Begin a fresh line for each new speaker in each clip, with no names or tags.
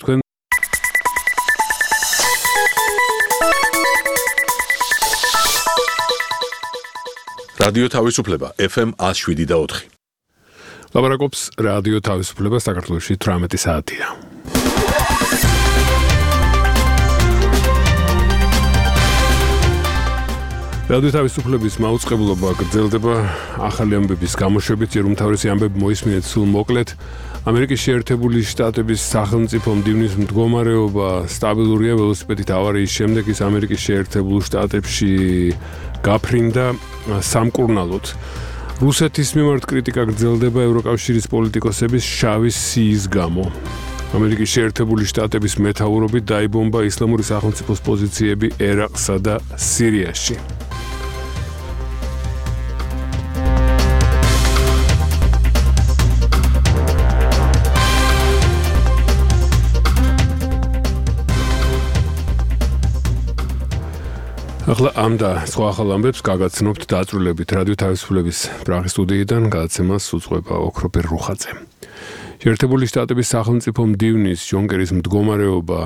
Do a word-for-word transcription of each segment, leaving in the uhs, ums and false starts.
თქვენ
რადიო თავისუფლება ეფ ემ one oh seven და four.
ლაბარაკობს რადიო თავისუფლება საქართველოში თვრამეტი საათია. რადიო თავისუფლების მაუწყებლობა გრძელდება ახალი ამბების გამოშვებით, ეროვნთავრისი ამბები მოისმინეთ სულ მოკლედ. ამერიკის შეერთებული შტატების სახელმწიფო მდივნის მდგომარეობა სტაბილურია ველოსიპედით ავარიის შემდეგ ის ამერიკის შეერთებულ შტატებში გაფრინდა სამკურნალოდ. რუსეთის მიმართ კრიტიკა გრძელდება ევროკავშირის პოლიტიკოსების შავი სიის გამო. ამერიკის შეერთებული შტატების მეთაურობით დაიბომბა ისლამური სახელმწიფოს პოზიციები ერაყსა და სირიაში. ახლა ამ და სხვა ახალ ამბებს გაგაცნობთ დაწვრილებით რადიო თავისუფლების პრაღის სტუდიიდან გადაცემას უძღვება ოქროპერ რუხაძე. შეერთებული შტატების სახელმწიფო მდივნის ჯონ კერის მდგომარეობა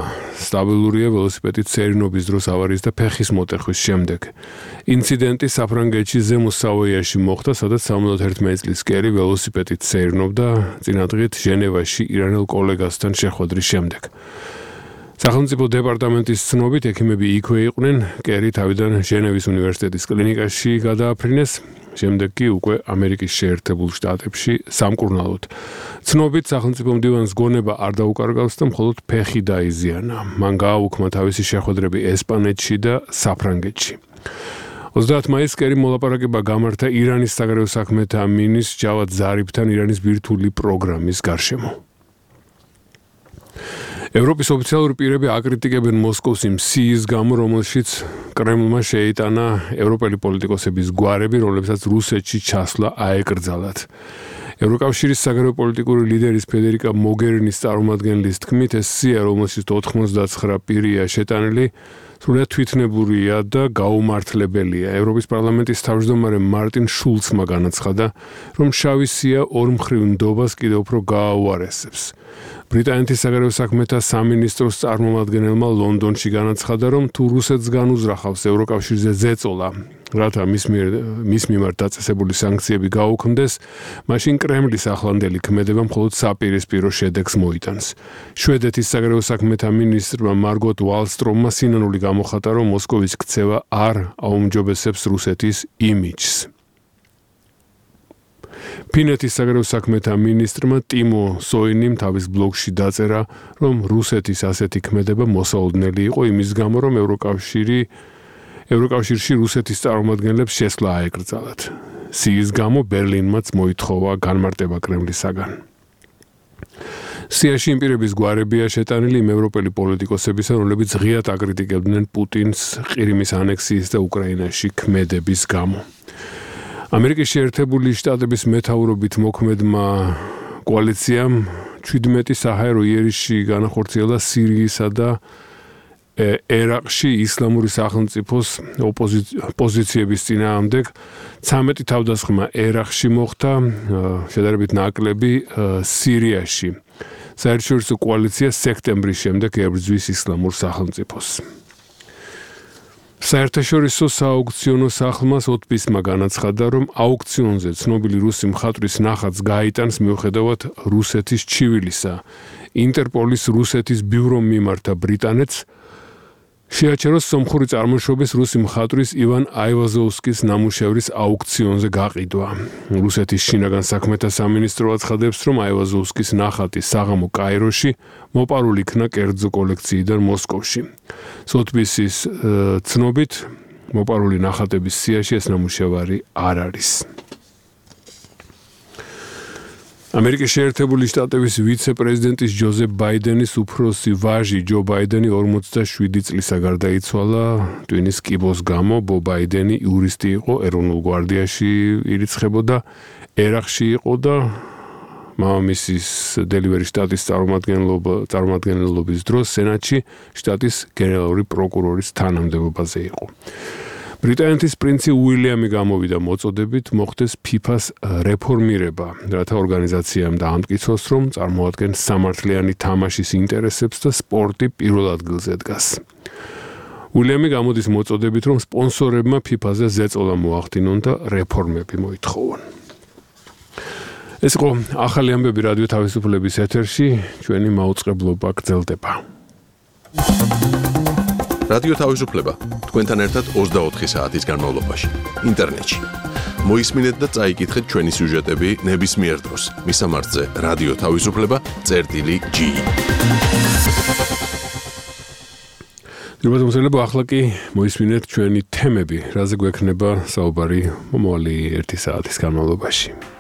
სტაბილურია ველოსიპედით სერინობის დროს ავარიის და ფეხის მოტეხვის შემდეგ. ინციდენტი საფრანგეთში ზემო სავოიაში მოხდა, სადაც seventy-one წლის კერი ველოსიპედით სერინობდა წინადღით ჟენევაში ირანელ კოლეგასთან შეხვედრის შემდეგ. სახელმწიფო დეპარტამენტის ცნობით ექიმები იქვე იყვნენ, კერი თავიდან ჟენევის უნივერსიტეტის კლინიკაში გადააფრინეს, შემდეგ კი უკვე ამერიკის შეერთებულ შტატებში სამკურნალოდ. ცნობით სახელმწიფო მდივანს გონება არ დაუკარგავს და მხოლოდ ფეხი დაიზიანა. მან გააუქმა თავისი შეხვედრები ესპანეთში და საფრანგეთში. ოცდაათ მაისს კერი მოლაპარაკება გამართა ირანის საგარეო საქმეთა მინისტრ ჯავად ზარიფთან ირანის ბირთვული პროგრამის გარშემო. ევროპის ოფიციალური პირები აკრიტიკებენ მოსკოვს იმ სიის გამო, რომელშიც კრემლმა შეიტანა ევროპელი პოლიტიკოსების გვარები, რომლებსაც რუსეთში ჩასვლა აეკრძალათ. ევროკავშირის საგარეო პოლიტიკური ლიდერის ფედერიკა მოგერინის წარმომადგენლის თქმით, ეს სია, რომელშიც ninety-nine პირია შეტანილი, სრულიად თვითნებურია და გაუმართლებელია. ევროპის პარლამენტის თავმჯდომარე მარტინ შულცმა განაცხადა, რომ შავი სია ორმხრივ ნდობას კიდევ უფრო გააუარესებს. ბრიტანეთის საგარეო საქმეთა სამინისტროს წარმომადგენელმა ლონდონში განაცხადა, რომ თუ რუსეთს განუზრახავს ევროკავშირზე ზეწოლა, რათა მის მის მიმართ დაწესებული სანქციები გაუქმდეს, მაშინ კრემლის ახლანდელი ქმედება მხოლოდ საპირისპირო შედეგს მოიტანს. შვედეთის საგარეო საქმეთა მინისტრმა მარგოტ ვალსტრომმა სინანული გამოხატა, რომ მოსკოვის ქცევა არ აუმჯობესებს რუსეთის იმიჯს. ფინეთის საგარეო საქმეთა მინისტრმა ტიმო სოინიმ თავის ბლოგში დაწერა, რომ რუსეთის ასეთი ქმედება მოსაოდნელი იყო იმის გამო, რომ ევროკავშირი ევროკავშირში რუსეთის წარმომადგენლებს შესვლა აეკრძალათ. სიის გამო ბერლინმაც მოითხოვა განმარტება კრემლისაგან. სიაში იმ პირების გვარებია შეტანილი იმ ევროპელი პოლიტიკოსებისა, რომლებიც ღიად აკრიტიკებდნენ პუტინს ყირიმის ანექსიის და უკრაინაში ქმედების გამო. ამერიკის შეერთებული შტატების მეთაურობით მოქმედმა კოალიციამ seventeen საჰაერო იერიში განახორციელა სირიისა და ერაყში ისლამური სახელმწიფოს პოზიციების წინააღმდეგ. ცამეტი თავდასხმა ერაყში მოხდა, შედარებით ნაკლები სირიაში. საერთაშორისო კოალიცია სექტემბრის შემდეგ ებრძვის ისლამურ სახელმწიფოს. საერთაშორისო სააუქციონო სახლმა ოტბისმა განაცხადა, რომ აუქციონზე ცნობილი რუსი მხატვრის ნახატს გაიტანს მიუხედავად რუსეთის ჩივილისა. ინტერპოლის რუსეთის ბიურომ მიმართა ბრიტანეთს შეაჩეროს სომხური წარმოშობის რუსი მხატვრის ივან აივაზოვსკის ნამუშევრის აუქციონზე გაყიდვა. რუსეთის შინაგან საქმეთა სამინისტრო აცხადებს, რომ აივაზოვსკის ნახატი საღამო კაიროში მოპარული იქნა კერძო კოლექციიდან მოსკოვში. სოტბისის ცნობით, მოპარული ნახატების სიაში ეს ნამუშევარი არ არის. ამერიკის შეერთებული შტატების ვიცე-პრეზიდენტის ჯოზეფ ბაიდენის უფროსი ვაჟი ჯო ბაიდენი forty-seven წლისა გარდაიცვალა ტვინის კიბოს გამო. ბო ბაიდენი იურისტი იყო, ეროვნულ გვარდიაში ირიცხებოდა, ერაყში იყო და მამამისის დელივერის შტატის წარმომადგენლობის დროს სენატში შტატის გენერალური პროკურორის თანამდებობაზე იყო. ბრიტანეთის პრინცი უილიამი გამოვიდა მოწოდებით მოხდეს ფიფას რეფორმირება, რათა ორგანიზაციამ დაამტკიცოს, რომ წარმოადგენს სამართლიანი თამაშის ინტერესებს და სპორტი პირველ ადგილზე დგას. უილიამი გამოდის მოწოდებით, რომ სპონსორებმა ფიფაზე ზეწოლა მოახდინონ და რეფორმები მოითხოვონ. ეს იყო ახალი ამბები რადიო თავისუფლების ეთერში, ჩვენი მაუწყებლობა გრძელდება.
რადიო თავისუფლება თქვენთან ერთად ოცდაოთხი საათის განმავლობაში ინტერნეტში. მოისმინეთ და წაიკითხეთ ჩვენი სიუჟეტები ნებისმიერ დროს. მისამართზე რადიო თავისუფლება წერტილი ჯი.
დიალოგმოსელები ახლა კი მოისმინეთ ჩვენი თემები, რაზე გვექნება საუბარი მომავალი ერთი საათის განმავლობაში.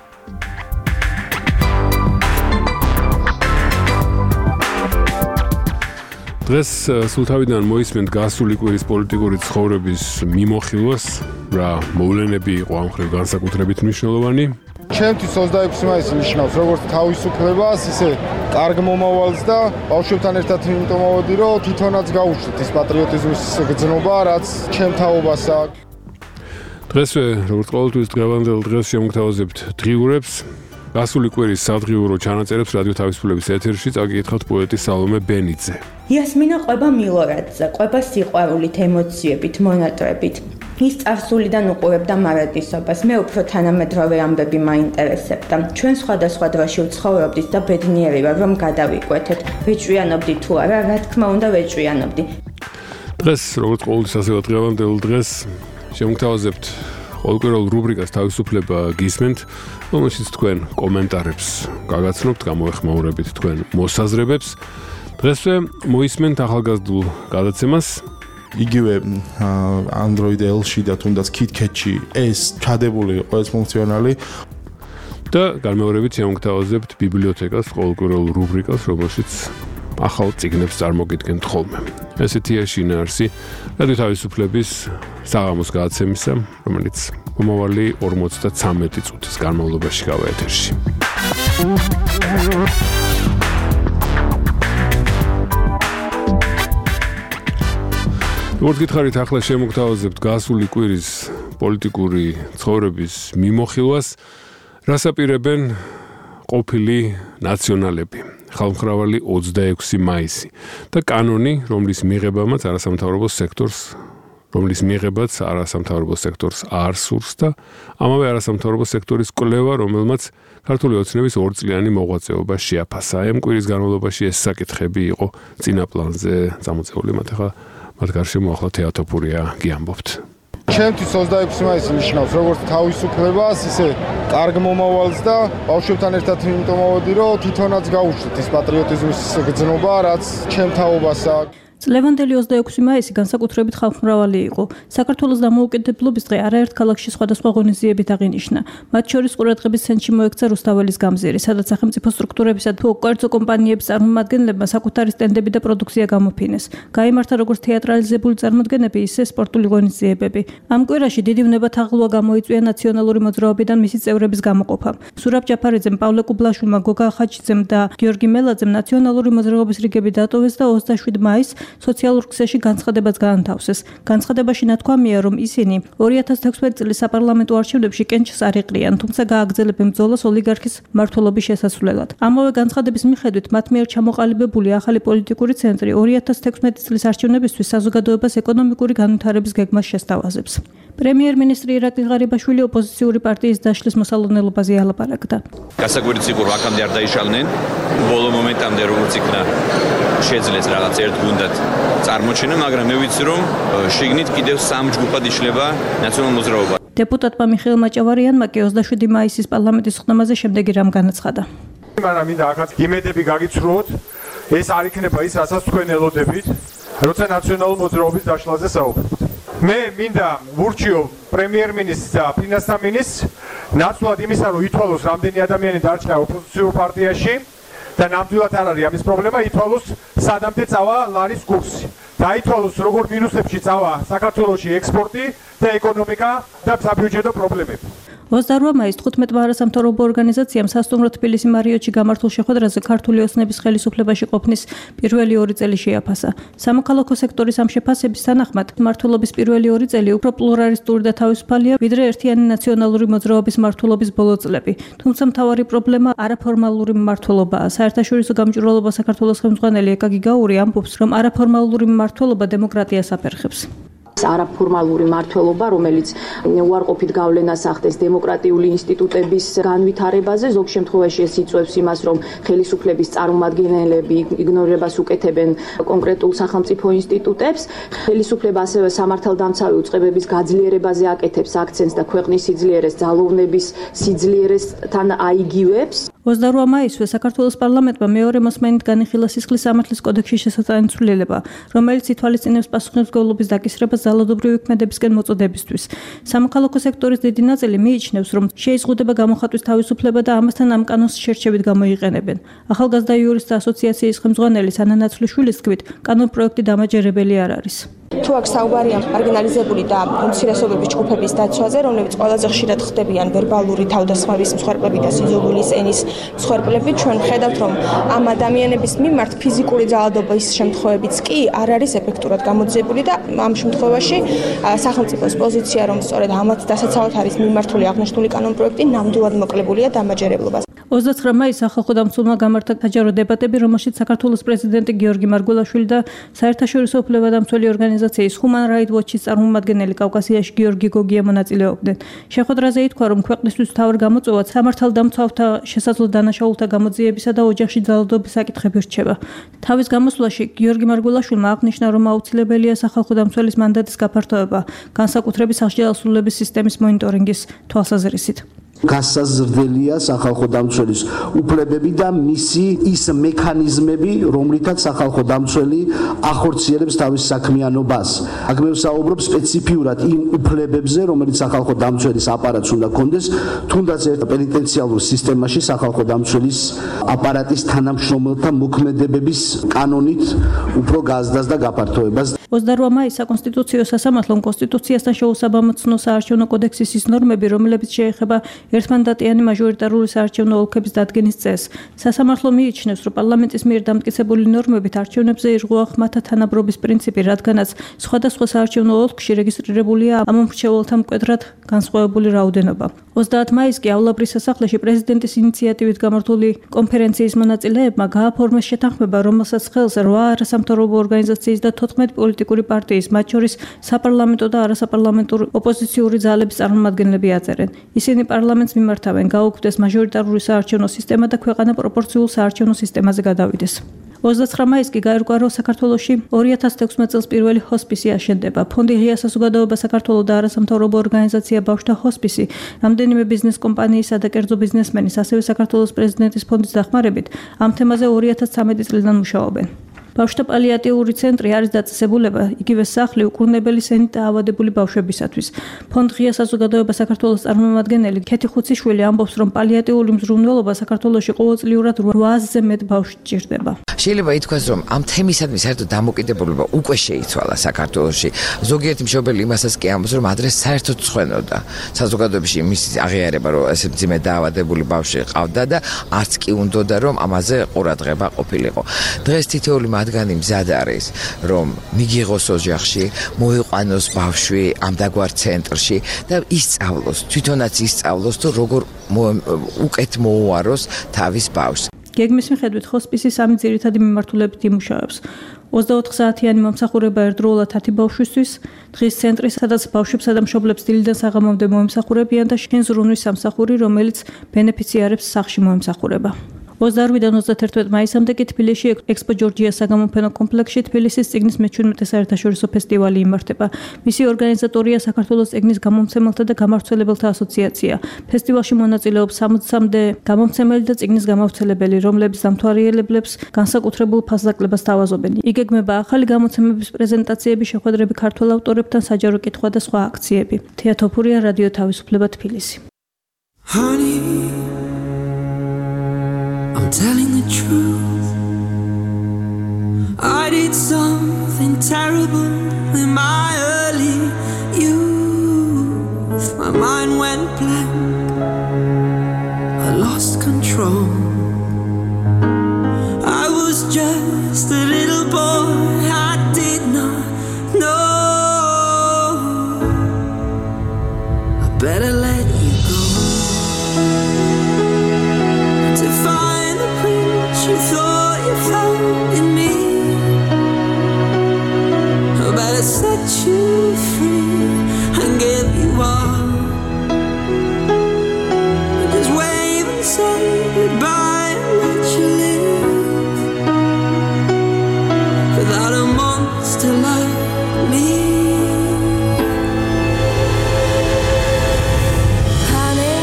დღეს სულთავიდან მოისმენთ გასული კვირის პოლიტიკური ცხოვრების მიმოხილვას, რა მოვლენები იყო ამ მხრივ განსაკუთრებით მნიშვნელოვანი.
ჩემთვის ოცდაექვსი მაისი ნიშნავს როგორც თავისუფლებას, ისე კარგ მომავალს და ბავშვებთან ერთად იმიტომ მოვედი, რომ თვითონაც გავუშვით ის პატრიოტიზმის გრძნობა, რაც ჩემ თაობას აქვს.
დღესვე, როგორც ყოველთვის დღევანდელ დღეს შემოგთავაზებთ დღიურებს. გასული კვირის სადღიურო ჩანაწერებს რადიო თავისუფლების ეთერში წაგიკითხავთ პოეტი სალომე ბენიძე.
იასმინა ყვება მილორადზე, ყვება სიყვარულით, ემოციებით, მონატრებით. ის წარსულიდან უყურებდა მარადისობას, მე უფრო თანამედროვე ამბები მაინტერესებდა. ჩვენ სხვადასხვა დროში ვცხოვრობდით და ბედნიერი ვარ, რომ გადავიკვეთეთ. ვეჭვიანობდი თუ არა, რა თქმა უნდა ვეჭვიანობდი.
დღეს, როგორც ყოველთვის ასევე დღევანდელ დღეს შემოგთავაზებთ ყოველკვირეულ რუბრიკას თავისუფლება გისმენთ, რომელშიც თქვენ კომენტარებს გაგაცნობთ, გამოეხმაურებით თქვენ მოსაზრებებს. დღესვე მოისმენთ ახალგაზრდულ გადაცემას.
იგივე Android L-ში და თუნდაც KitKat-ში ეს ჩადებული იყო ეს ფუნქციონალი.
და განმეორებით შემოგთავაზებთ ბიბლიოთეკას, ყოველკვირეულ რუბრიკას, რომელშიც ახალ წიგნებს წარმოგიდგენთ ხოლმე. ესეთია შინაარსი რადიო თავისუფლების საღამოს გადაცემისა, რომელიც მომავალი ორმოცდათვრამეტი წუთის განმავლობაში გავა ეთერში. როგორც გითხარით, ახლა შემოგთავაზებთ გასული კვირის პოლიტიკური ცხოვრების მიმოხილვას, რას აპირებენ ყოფილი ნაციონალები. ხალხმრავალი ოცდაექვსი მაისი და კანონი, რომლის მიღებამაც არასამთავრობო სექტორს, რომლის მიღებაც არასამთავრობო სექტორს არ სურს და ამავე არასამთავრობო სექტორის კვლევა, რომელმაც ქართული ოცნების ორწლიანი მოღვაწეობა შეაფასა. ამ კვირის განმავლობაში ეს საკითხები იყო წინა პლანზე წამოწეული, მათ ახლა მათ გარშემო ახლა თეატოფურია გიამბობთ.
ჩემთვის ოცდაექვსი მაისი ნიშნავს როგორც თავისუფლებას, ისე კარგ მომავალს და ბავშვებთან ერთად იმიტომ მოვედი, რომ თვითონაც გავუშვით ის პატრიოტიზმის გრძნობა, რაც ჩემ თაობას აქვს.
წლევანდელი ოცდაექვსი მაისი განსაკუთრებით ხალხმრავალი იყო. საქართველოს დამოუკიდებლობის დღე არაერთ ქალაქში სხვადასხვა ღონისძიებით აღინიშნა. მათ შორის ყურადღების ცენტრში მოექცა რუსთაველის გამზირი, სადაც სახელმწიფო სტრუქტურებისა და უკერძო კომპანიების წარმომადგენლებმა საკუთარი სტენდები და პროდუქცია გამოფინეს. გაიმართა როგორც თეატრალიზებული წარმოდგენები, ისე სპორტული ღონისძიებები. ამ კვირაში დიდი ვნებათაღლვა გამოიწვია ნაციონალური მოძრაობიდან მისი წევრების გამოყოფამ. სურაბ ჯაფარიძემ, პავლე კუბლაშვილმა, გოგა ხაჩიძემ და გიორგი მელაძემ ნაციონალური მოძრაობის რიგები დატოვეს და ოცდაშვიდ მაისს სოციალურ ქსელში განცხადებაც გაანთავსეს. განცხადებაში ნათქვამია, რომ ისინი ორი ათას თექვსმეტი წლის საპარლამენტო არჩევნებში კენჭს არ იყრიან, თუმცა გააგრძელებენ ბრძოლას ოლიგარქის მმართველობის შესასვლელად. ამავე განცხადების მიხედვით, მათ მიერ ჩამოყალიბებული ახალი პოლიტიკური ცენტრი ორი ათას თექვსმეტი წლის არჩევნებისთვის საზოგადოებას ეკონომიკური განვითარების გეგმას შესთავაზებს. პრემიერ-მინისტრი ირაკლი ღარიბაშვილი ოპოზიციური პარტიის დაშლის მოსალოდნელობაზე ალაპარაკდა.
გასაკვირიც იყო, რომ აქამდე არ დაიშალნენ, ბოლო მომენტამდე როგორც იქნა შეძლეს რაღაც ერთ გუნდად წარმოჩენა, მაგრამ მე ვიცი, რომ შიგნით კიდევ სამ ჯგუფად იშლება ნაციონალურ მოძრაობა.
დეპუტატმა მიხეილ მაჭავარიანმა კი ოცდაშვიდი მაისის პარლამენტის ხდომაზე შემდეგი რამ განაცხადა.
მაგრამ მინდა ახაც იმედები გაგიცრუოთ, ეს არ იქნება ის, რასაც თქვენ ელოდებით, როცა ნაციონალურ მოძრაობის დაშლაზე საუბრობთ. მე მინდა ვურჩიო პრემიერ-მინისტრს და ფინანსთა მინისტრს ნაცვლად იმისა, რომ ითვალოს რამდენი ადამიანი დარჩა ოპოზიციურ პარტიაში და ნამდვილად არ არის ამის პრობლემა, ითვალოს სადამდე წავა ლარის კურსი. დაითვალოს როგორ მინუსებში წავა საქართველოში ექსპორტი და ეკონომიკა და საბიუჯეტო პრობლემები.
ოცდაოთხ მაისს თხუთმეტ არასამთავრობო ორგანიზაციამ სასტუმრო თბილისი მარიოტში გამართულ შეხვედრაზე ქართული ოცნების ხელისუფლებაში ყოფნის პირველი ორი წელი შეაფასა. სამოქალაქო სექტორის ამ შეფასების თანახმად მმართველობის პირველი ორი წელი უფრო პლურალისტური და თავისუფალია, ვიდრე ერთიანი ნაციონალური მოძრაობის მმართველობის ბოლო წლები. თუმცა მთავარი პრობლემა არაფორმალური მმართველობაა. საერთაშორისო გამჭვირვალობა საქართველოს ხელმძღვანელი ეკა გიგაური ამბობს, რომ არაფორმალური მმართველობა დემოკრატიას აფერხებს.
არაფორმალური მმართველობა, რომელიც უარყოფით გავლენას ახდენს დემოკრატიული ინსტიტუტების განვითარებაზე, ზოგ შემთხვევაში ეს იწვევს იმას, რომ ხელისუფლების წარმომადგენლები იგნორებას უკეთებენ კონკრეტულ სახელმწიფო ინსტიტუტებს. ხელისუფლება ასევე სამართალდამცავი უწყებების გაძლიერებაზე აკეთებს აქცენტს და ქვეყნის სიძლიერეს, ძალოვნების სიძლიერესთან აიგივებს.
ოცდაოთხ მაისს საქართველოს პარლამენტმა მეორე მოსმენით განიხილა სისხლის სამართლის კოდექსში შესატანი ცვლილება, რომელიც ითვალისწინებს პასუხისმგებლობის დაკისრებას ძალადობრივი ქმედებისკენ მოწოდებისთვის. სამოქალაქო სექტორის დიდი ნაწილი მიიჩნევს, რომ შეიზღუდება გამოხატვის თავისუფლება და ამასთან ამ კანონს შერჩევით გამოიყენებენ. ახალგაზრდა იურისტთა ასოციაციის ხელმძღვანელი სანა ნაცვლიშვილის თქმით, კანონპროექტი დამაჯერებელი არ არის.
თუ აქ საუბარია მარგინალიზებული და უმცირესობების ჯგუფების დაცვაზე, რომლებიც ყველაზე ხშირად ხდებიან ვერბალური თავდასხმების მსხვერპლები და სიზოგულის ენის მსხვერპლები, ჩვენ ხედავთ, რომ ამ ადამიანების მიმართ ფიზიკური ძალადობის შემთხვევებიც კი არ არის ეფექტურად გამოძიებული და ამ შემთხვევაში სახელმწიფოს პოზიცია, რომ სწორედ ამათ დასაცავად არის მიმართული აღნიშნული კანონპროექტი, ნამდვილად მოკლებულია დამაჯერებლობას.
ოცდაცხრა მაისს სახალხო დამცველმა გამართა საჯარო დებატები, რომელშიც საქართველოს პრეზიდენტი გიორგი მარგველაშვილი და საერთაშორისო უფლებადამცველი ორგანიზაციის Human Rights Watch-ის წარმომადგენელი კავკასიაში გიორგი გოგია მონაწილეობდნენ. შეხვედრაზე ითქვა, რომ ქვეყნისთვის მთავარ გამოწვევად სამართალდამცავთა შესაძლო დანაშაულთა გამოძიებისა და ოჯახში ძალადობის საკითხები რჩება. თავის გამოსვლაში გიორგი მარგველაშვილმა აღნიშნა, რომ აუცილებელია სახალხო დამცველის მანდატის გაფართოება, განსაკუთრებით სახში დასრულების სისტემის მონიტორინგის თვალსაზრისით.
გასაზრდელია სახალხო დამცველის უფლებები და მისი ის მექანიზმები, რომლითაც სახალხო დამცველი ახორციელებს თავის საქმიანობას. აქ მე ვსაუბრობ სპეციფიურად იმ უფლებებზე, რომელიც სახალხო დამცველის აპარატს უნდა კონდეს, თუნდაც ერთ პენიტენციალურ სისტემაში სახალხო დამცველის აპარატის თანამშრომელთა მოქმედებების კანონით უფრო გაზრდას და გაფართოებას.
ოცდაოთხ მაისს საკონსტიტუციო სასამართლომ კონსტიტუციასთან შეუსაბამოცნო საარჩევნო კოდექსის ის ნორმები, რომლებიც შეეხება ერთმანდატიანი მაჟორიტარული საარჩევნო ოლქების დადგენის წესს. სასამართლო მიიჩნევს, რომ პარლამენტის მიერ დამტკიცებული ნორმებით არჩევნებზე ირღვევა ხმათა თანაბრობის პრინციპი, რადგანაც სხვადასხვა საარჩევნო ოლქში რეგისტრირებულია ამ მრჩეველთა მკვეთრად განსხვავებული რაოდენობა. ოცდაათი მაისს კიავლაბრის სასახლეში პრეზიდენტის ინიციატივით გამართული კონფერენციის მონაწილეებმა გააფორმეს შეთანხმება, რომელსაც ხელს რვა არასამთავრობო ორგანიზაციის და თოთხმეტი პოლიტიკური პარტიის, მათ შორის საპარლამენტო და არასაპარლამენტო ოპოზიციური ძალების წარმომადგენლები აწერენ. ისინი პარლამენტს მიმართავენ, გაუქმდეს მაჟორიტარული საარჩევნო სისტემა და ქვეყანა პროპორციულ საარჩევნო სისტემაზე გადავიდეს. ოცდაცხრა მაისს კი გაირკვა, რომ საქართველოში ორი ათას თექვსმეტ წელს პირველი ჰოსპისი აშენდება. ფონდი ღია საზოგადოება საქართველოს და არასამთავრობო ორგანიზაცია ბავშვთა ჰოსპისი, რამდენიმე ბიზნეს კომპანიისა და კერძო ბიზნესმენის, ასევე საქართველოს პრეზიდენტის ფონდის დახმარებით ამ თემაზე ორი ათას ცხრამეტი წლიდან მუშაობენ. ბავშვთა პალიატიური ცენტრი არის დაწესებულება იგივე სახლი უკურნებელი სენით დაავადებული ბავშვებისათვის. ფონდ ღია საზოგადოება საქართველოს წარმომადგენელი ქეთი ხუციშვილი ამბობს, რომ პალიატიური მზრუნველობა საქართველოში ყოველწლიურად რვაასზე მეტ ბავშვს ჭირდება.
შეიძლება ითქვას, რომ ამ თემისადმი საერთოდ დამოკიდებულება უკვე შეიცვალა საქართველოში. ზოგიერთი მშობელი იმასაც კი ამბობს, რომ ადრე საერთოდ ცხვენოდა საზოგადოებაში მის აღიარება, რომ ესე მძიმე დაავადებული ბავშვი ყავდა და არც კი უნდოდა, რომ ამაზე ყურადღება ყოფილიყო. დღეს თითოეული მათგანი მზად არის, რომ მიგიღოს ოჯახში, მოიყვანოს ბავშვი ამ დაგვარ ცენტრში და ისწავლოს, თვითონაც ისწავლოს, თუ როგორ უკეთ მოუაროს თავის ბავშვს.
გეგმის მიხედვით ჰოსპისი სამი ძირითადი მიმართულებით იმუშავებს. ოცდაოთხ საათიანი მომსახურება ერთდროულად ათი ბავშვისთვის, დღის ცენტრი, სადაც ბავშვებსა და მშობლებს დილიდან საღამომდე მოემსახურებიან და შინ ზრუნვის სამსახური, რომელიც ბენეფიციარებს სახლში მოემსახურება. ოცდაოთხიდან ოცდათერთმეტ მაისამდე კი თბილისში ექსპო ჯორჯია საგამოფენო კომპლექსში თბილისის წიგნის მეჩვენმეტე საერთაშორისო ფესტივალი იმართება. მისი ორგანიზატორია საქართველოს წიგნის გამომცემელთა და გამავრცელებელთა ასოციაცია. ფესტივალში მონაწილეობს სამოცამდე გამომცემელი და წიგნის გამავრცელებელი, რომლებიც დამთვალიერებლებს განსაკუთრებულ ფასდაკლებას თავაზობენ. იგეგმება ახალი გამოცემების პრეზენტაციები, შეხვედრები ქართველ ავტორებთან, საჯარო კითხვა და სხვა აქციები. თეა თოფურია, რადიო თავისუფლება, თბილისი.
I'm telling the truth. I did something terrible in my early youth. My mind went blank. set you free and give you all. Just wave and say goodbye and let you live without a monster like me. Honey,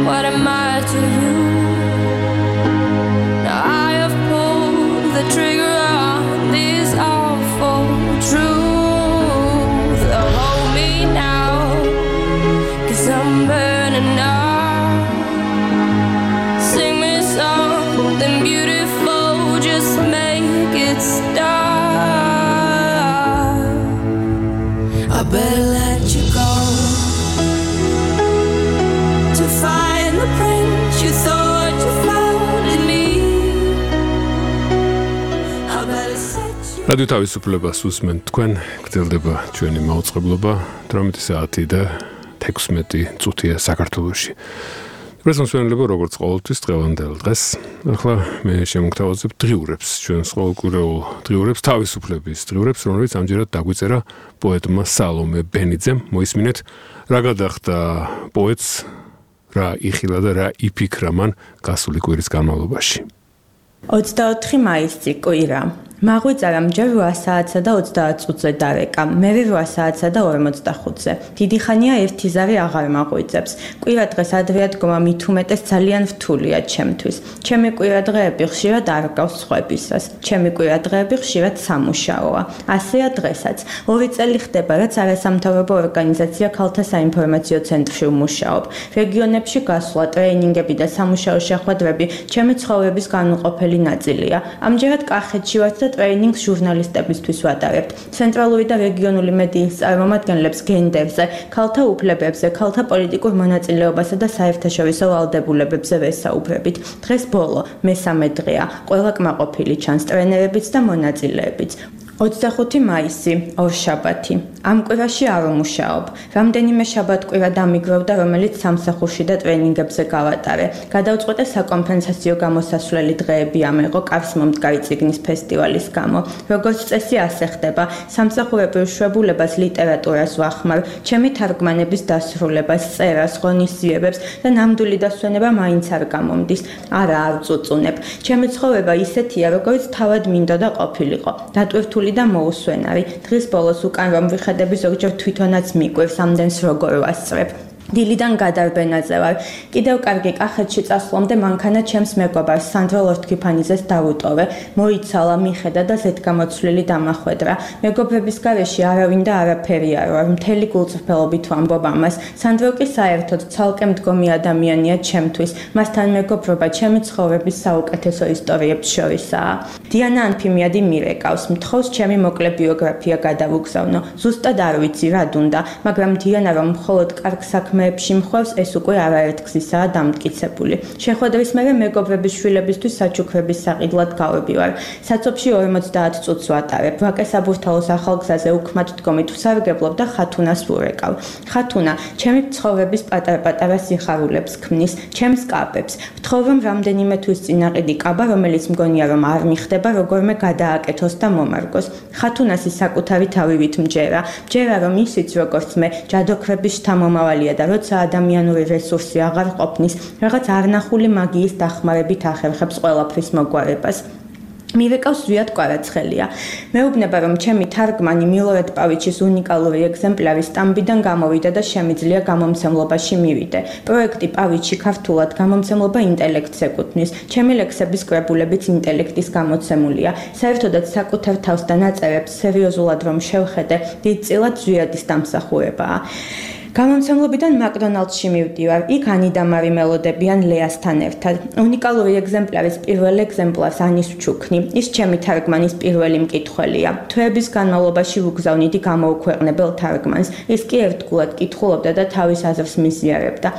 what am I to you? Now I have pulled the trigger on this awful truth. Oh, hold me now, 'cause I'm burning up. Sing me something beautiful, just make it stop. I better let you go to find the prince you thought you found in me. I better set you.
რადიო თავისუფლებას უსმენთ თქვენ, გრძელდება ჩვენი მაუწყებლობა თვრამეტი საათი და თექვსმეტი წუთია საქართველოში. პრეზიდენტობა როგორც ყოველთვის დღევანდელ დღეს. ახლა მე შემოგთავაზებ დღიურებს, ჩვენს ყოველკვირეულ დღიურებს, თავისუფლების დღიურებს, რომელიც ამჯერად დაგვიწერა პოეტმა სალომე ბენიძემ. მოისმინეთ, რა გადახდა პოეტს, რა იხილა და რა იფიქრა მან გასული კვირის განმავლობაში.
ოცდაოთხი მაისი კვირა. მაღვიძარა მჯერ რვა საათსა და ოცდაათ წუთზე დარეკა, მერე რვა საათსა და ორმოცდახუთზე. დიდი ხანია ერთი ზარი აღარ მაღვიძებს. კვირა დღეს ადრე ადგომა მით უმეტეს ძალიან რთულია ჩემთვის. ჩემი კვირა დღეები ხშირად არ გავს სხვებისას. ჩემი კვირა დღეები ხშირად სამუშაოა. ასეა დღესაც. ორი წელი ხდება, რაც არასამთავრობო ორგანიზაცია ქალთა საინფორმაციო ცენტრში ვმუშაობ. რეგიონებში გასვლა, ტრეინინგები და სამუშაო შეხვედრები ჩემი ცხოვრების განუყოფელი ნაწილია. ამჯერად კახეთში ვართ და ტრეინინგს ჟურნალისტებისთვის ვატარებთ. ცენტრალური და რეგიონული მედიის წარმომადგენლებს გენდერზე, ქალთა უფლებებზე, ქალთა პოლიტიკურ მონაწილეობასა და საერთაშორისო ვალდებულებებზე ვესაუბრებით. დღეს ბოლო, მესამე დღეა, ყველა კმაყოფილი ჩანს ტრენერებიც და მონაწილეებიც. ოცდახუთი მაისი, ორშაბათი. ამ კვირაში არ ვმუშაობ. რამდენიმე შაბათ-კვირა დამიგროვდა, რომელიც სამსახურში და ტრეინინგებზე გავატარე. გადავწყვეტე საკონფერენციო გამოსასვლელი დღეები ამეღო კარს მომდგარი წიგნის ფესტივალის გამო. როგორც წესი ასე ხდება, სამსახურებრივ შვებულებას, ლიტერატურას ვახმარ, ჩემი თარგმანების დასრულებას, წერას, ღონისძიებებს და ნამდვილი დასვენება მაინც არ გამომდის. არა, არ წუწუნებ. ჩემი ცხოვრება ისეთია, როგორც თავად მინდოდა ყოფილიყო. დატვირთული და მოუსვენარი. დღის ბოლოს უკან რომ ვიხადები, ზოგჯერ თვითონაც მიკვირს ამდენს როგორ ვასწრებ. დილიდან გადარბენაზე ვარ. კიდევ კარგი კახეთში წასვლამდე მანქანა ჩემს მეგობარს სანდრო ლორთქიფანიძეს დავუტოვე. მოიცალა, მიხედა და ზედგამოცვლილი დამახვედრა. მეგობრების გარეშე არავინ და არაფერი არ ვარ. მთელი გულწრფელობით ვამბობ ამას. სანდრო კი საერთოდ ცალკე მდგომი ადამიანია ჩემთვის. მასთან მეგობრობა ჩემი ცხოვრების საუკეთესო ისტორიებს შორისაა. დიანა ანფიმიადი მირეკავს. მთხოვს ჩემი მოკლე ბიოგრაფია გადავუგზავნო. ზუსტად არ ვიცი რა დუნდა, მაგრამ დიანა რომ მხოლოდ კარგ საქმეებში მხვევს, ეს უკვე არაერთგზისაა დამტკიცებული. შეხვედრის მერე მეგობრების შვილებისთვის საჩუქრების საყიდლად გავებივარ. საცობში ორმოცდაათ წუთს ვატარებ. ვაკე საბურთალოს ახალგზაზე უქმად დგომით ვსარგებლობ და ხათუნას ვურეკავ. ხათუნა ჩემი ცხოვრების პატარ-პატარა სიხარულებს ქმნის, ჩემს კაბებს. ვთხოვ რომ რამდენიმე თვის წინ აყიდი კაბა, რომელიც მგონია რომ არ მიხდება, როგორმე გადააკეთოს და მომარგოს. ხათუნასი საკუთარი თავივით მჯერა. მჯერა რომ ისიც როგორც მე, ჯადოქრების შთამომავალია და როცა ადამიანური რესურსი აღარ ყოფნის, რაღაც არნახული მაგიის დახმარებით ახერხებს ყველაფრის მოგვარებას. მივეკავს ზვიად კვარაცხელია. მეუბნება რომ ჩემი თარგმანი მილორად პავიჩის უნიკალური ეგზემპლარი სტამბიდან გამოვიდა და შემიძლია გამომცემლობაში მივიდე. პროექტი პავიჩი ქართულად გამომცემლობა ინტელექტს ეკუთვნის. ჩემი ლექსების კრებულებიც ინტელექტის გამოცემულია. საერთოდაც საკუთარ თავს და ნაწერებს სერიოზულად რომ შევხედე, დიდწილად ზვიადის დამსახურებაა. გამომცემლობიდან მაკდონალდსში მივდივარ. იქ ანი და მარი მელოდებიან ლეასთან ერთად. უნიკალური ეგზემპლარის პირველ ეგზემპლარს ანის ვჩუქნი. ის ჩემი თარგმანის პირველი მკითხველია. თვეების განმავლობაში ვუგზავნიდი გამოუქვეყნებელ თარგმანს. ის კი ერთგულად კითხულობდა და თავის აზრს მიზიარებდა.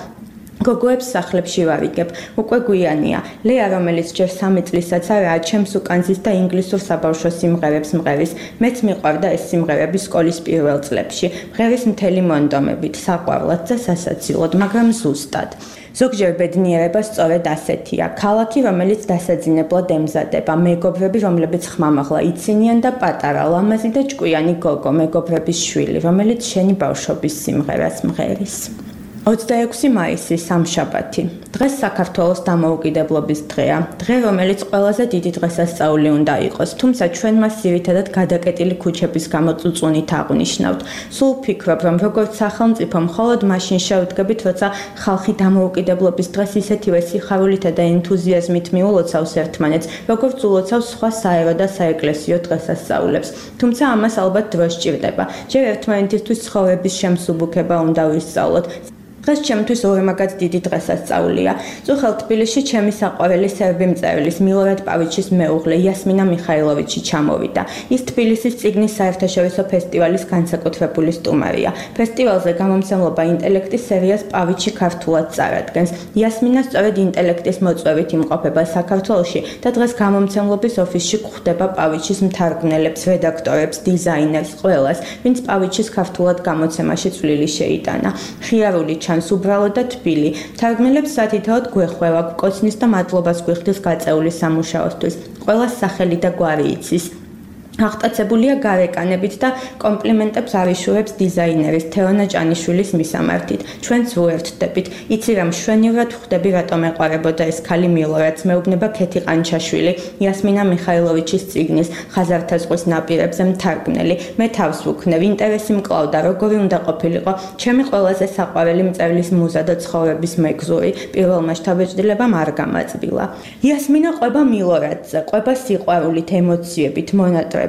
გოგოებს სახლებში ვარიგებ. უკვე გვიანია. ლეა, რომელიც ჯერ სამი წლისაც არაა, ჩემს უკან ზის და ინგლისურ საბავშვო სიმღერებს მღერის. მეც მიყვარდა ეს სიმღერები სკოლის პირველ წლებში. მღერის მთელი მონდომებით, საყვარლად და სასაცილოდ, მაგრამ ზუსტად. ზოგჯერ ბედნიერება სწორედ ასეთია. ქალაქი, რომელიც დასაძინებლად ემზადება, მეგობრები, რომლებიც ხმამაღლა იცინიან და პატარა, ლამაზი და ჭკვიანი გოგო, მეგობრების შვილი, რომელიც შენი ბავშვობის სიმღერას მღერის. ოცდაექვსი მაისი, სამშაბათი. დღეს საქართველოს დამოუკიდებლობის დღეა. დღე, რომელიც ყველაზე დიდი დღესასწაული უნდა იყოს, თუმცა ჩვენ მას ძირითადად გადაკეტილი ქუჩების გამო წუწუნით აღვნიშნავთ. სულ ვფიქრობ, რომ როგორც სახელმწიფო მხოლოდ მაშინ შევდგებით, როცა ხალხი დამოუკიდებლობის დღეს ისეთივე სიხარულითა და ენთუზიაზმით მიულოცავს ერთმანეთს, როგორც ულოცავს სხვა საერო და საეკლესიო დღესასწაულებს. თუმცა ამას ალბათ დრო სჭირდება. ჯერ ერთმანეთისთვის ცხოვრების შემსუბუქება უნდა ვისწავლოთ. დღეს ჩემთვის ორმაგად დიდი დღესასწაულია. წუხელ თბილისში ჩემი საყვარელი სერბი მწერლის მილორად პავიჩის მეუღლე იასმინა მიხაილოვიჩი ჩამოვიდა. ის თბილისის წიგნის საერთაშორისო ფესტივალის განსაკუთრებული სტუმარია. ფესტივალზე გამომცემლობა ინტელექტის სერიას პავიჩი ქართულად წარადგენს. იასმინა სწორედ ინტელექტის მოწვევით იმყოფება საქართველოში და დღეს გამომცემლობის ოფისში გვხვდება პავიჩის მთარგმნელებს, რედაქტორებს, დიზაინერს, ყველას, ვინც პავიჩის ქართულად გამოცემაში წვლილი შეიტანა. ხიარული ჩანს უბრალო და თბილი. თარგმნელებს სათითაოდ გვეხვევა, გვკოცნის და მადლობას გვიხდის გაწეული სამუშაოსთვის. ყველას სახელი და გვარი იცის. აღტაცებულია გარეკანებით და კომპლიმენტებს არიშურებს დიზაინერის თეონა ჭანიშვილის მისამართით. ჩვენც ვუერთდებით. იცი რა მშვენივრად ხვდები, რატომ ეყარებოდა ეს ქალი მილორადს, მეუბნება ქეთი ყანჩაშვილი, იასმინა მიხაილოვიჩის წიგნის ხაზართა ზღვის ნაპირებზე მთარგმნელი. მე თავს ვუქნევ, ინტერესი მკლავდა, როგორი უნდა ყოფილიყო ჩემი ყველაზე საყვარელი მწერლის მუზა და ცხოვრების მეგზური. პირველმა შთაბეჭდილებამ არ გამაწბილა. იასმინა ყვება მილორადზე, ყვება სიყვარულით, ემოციებით, მონატრებით.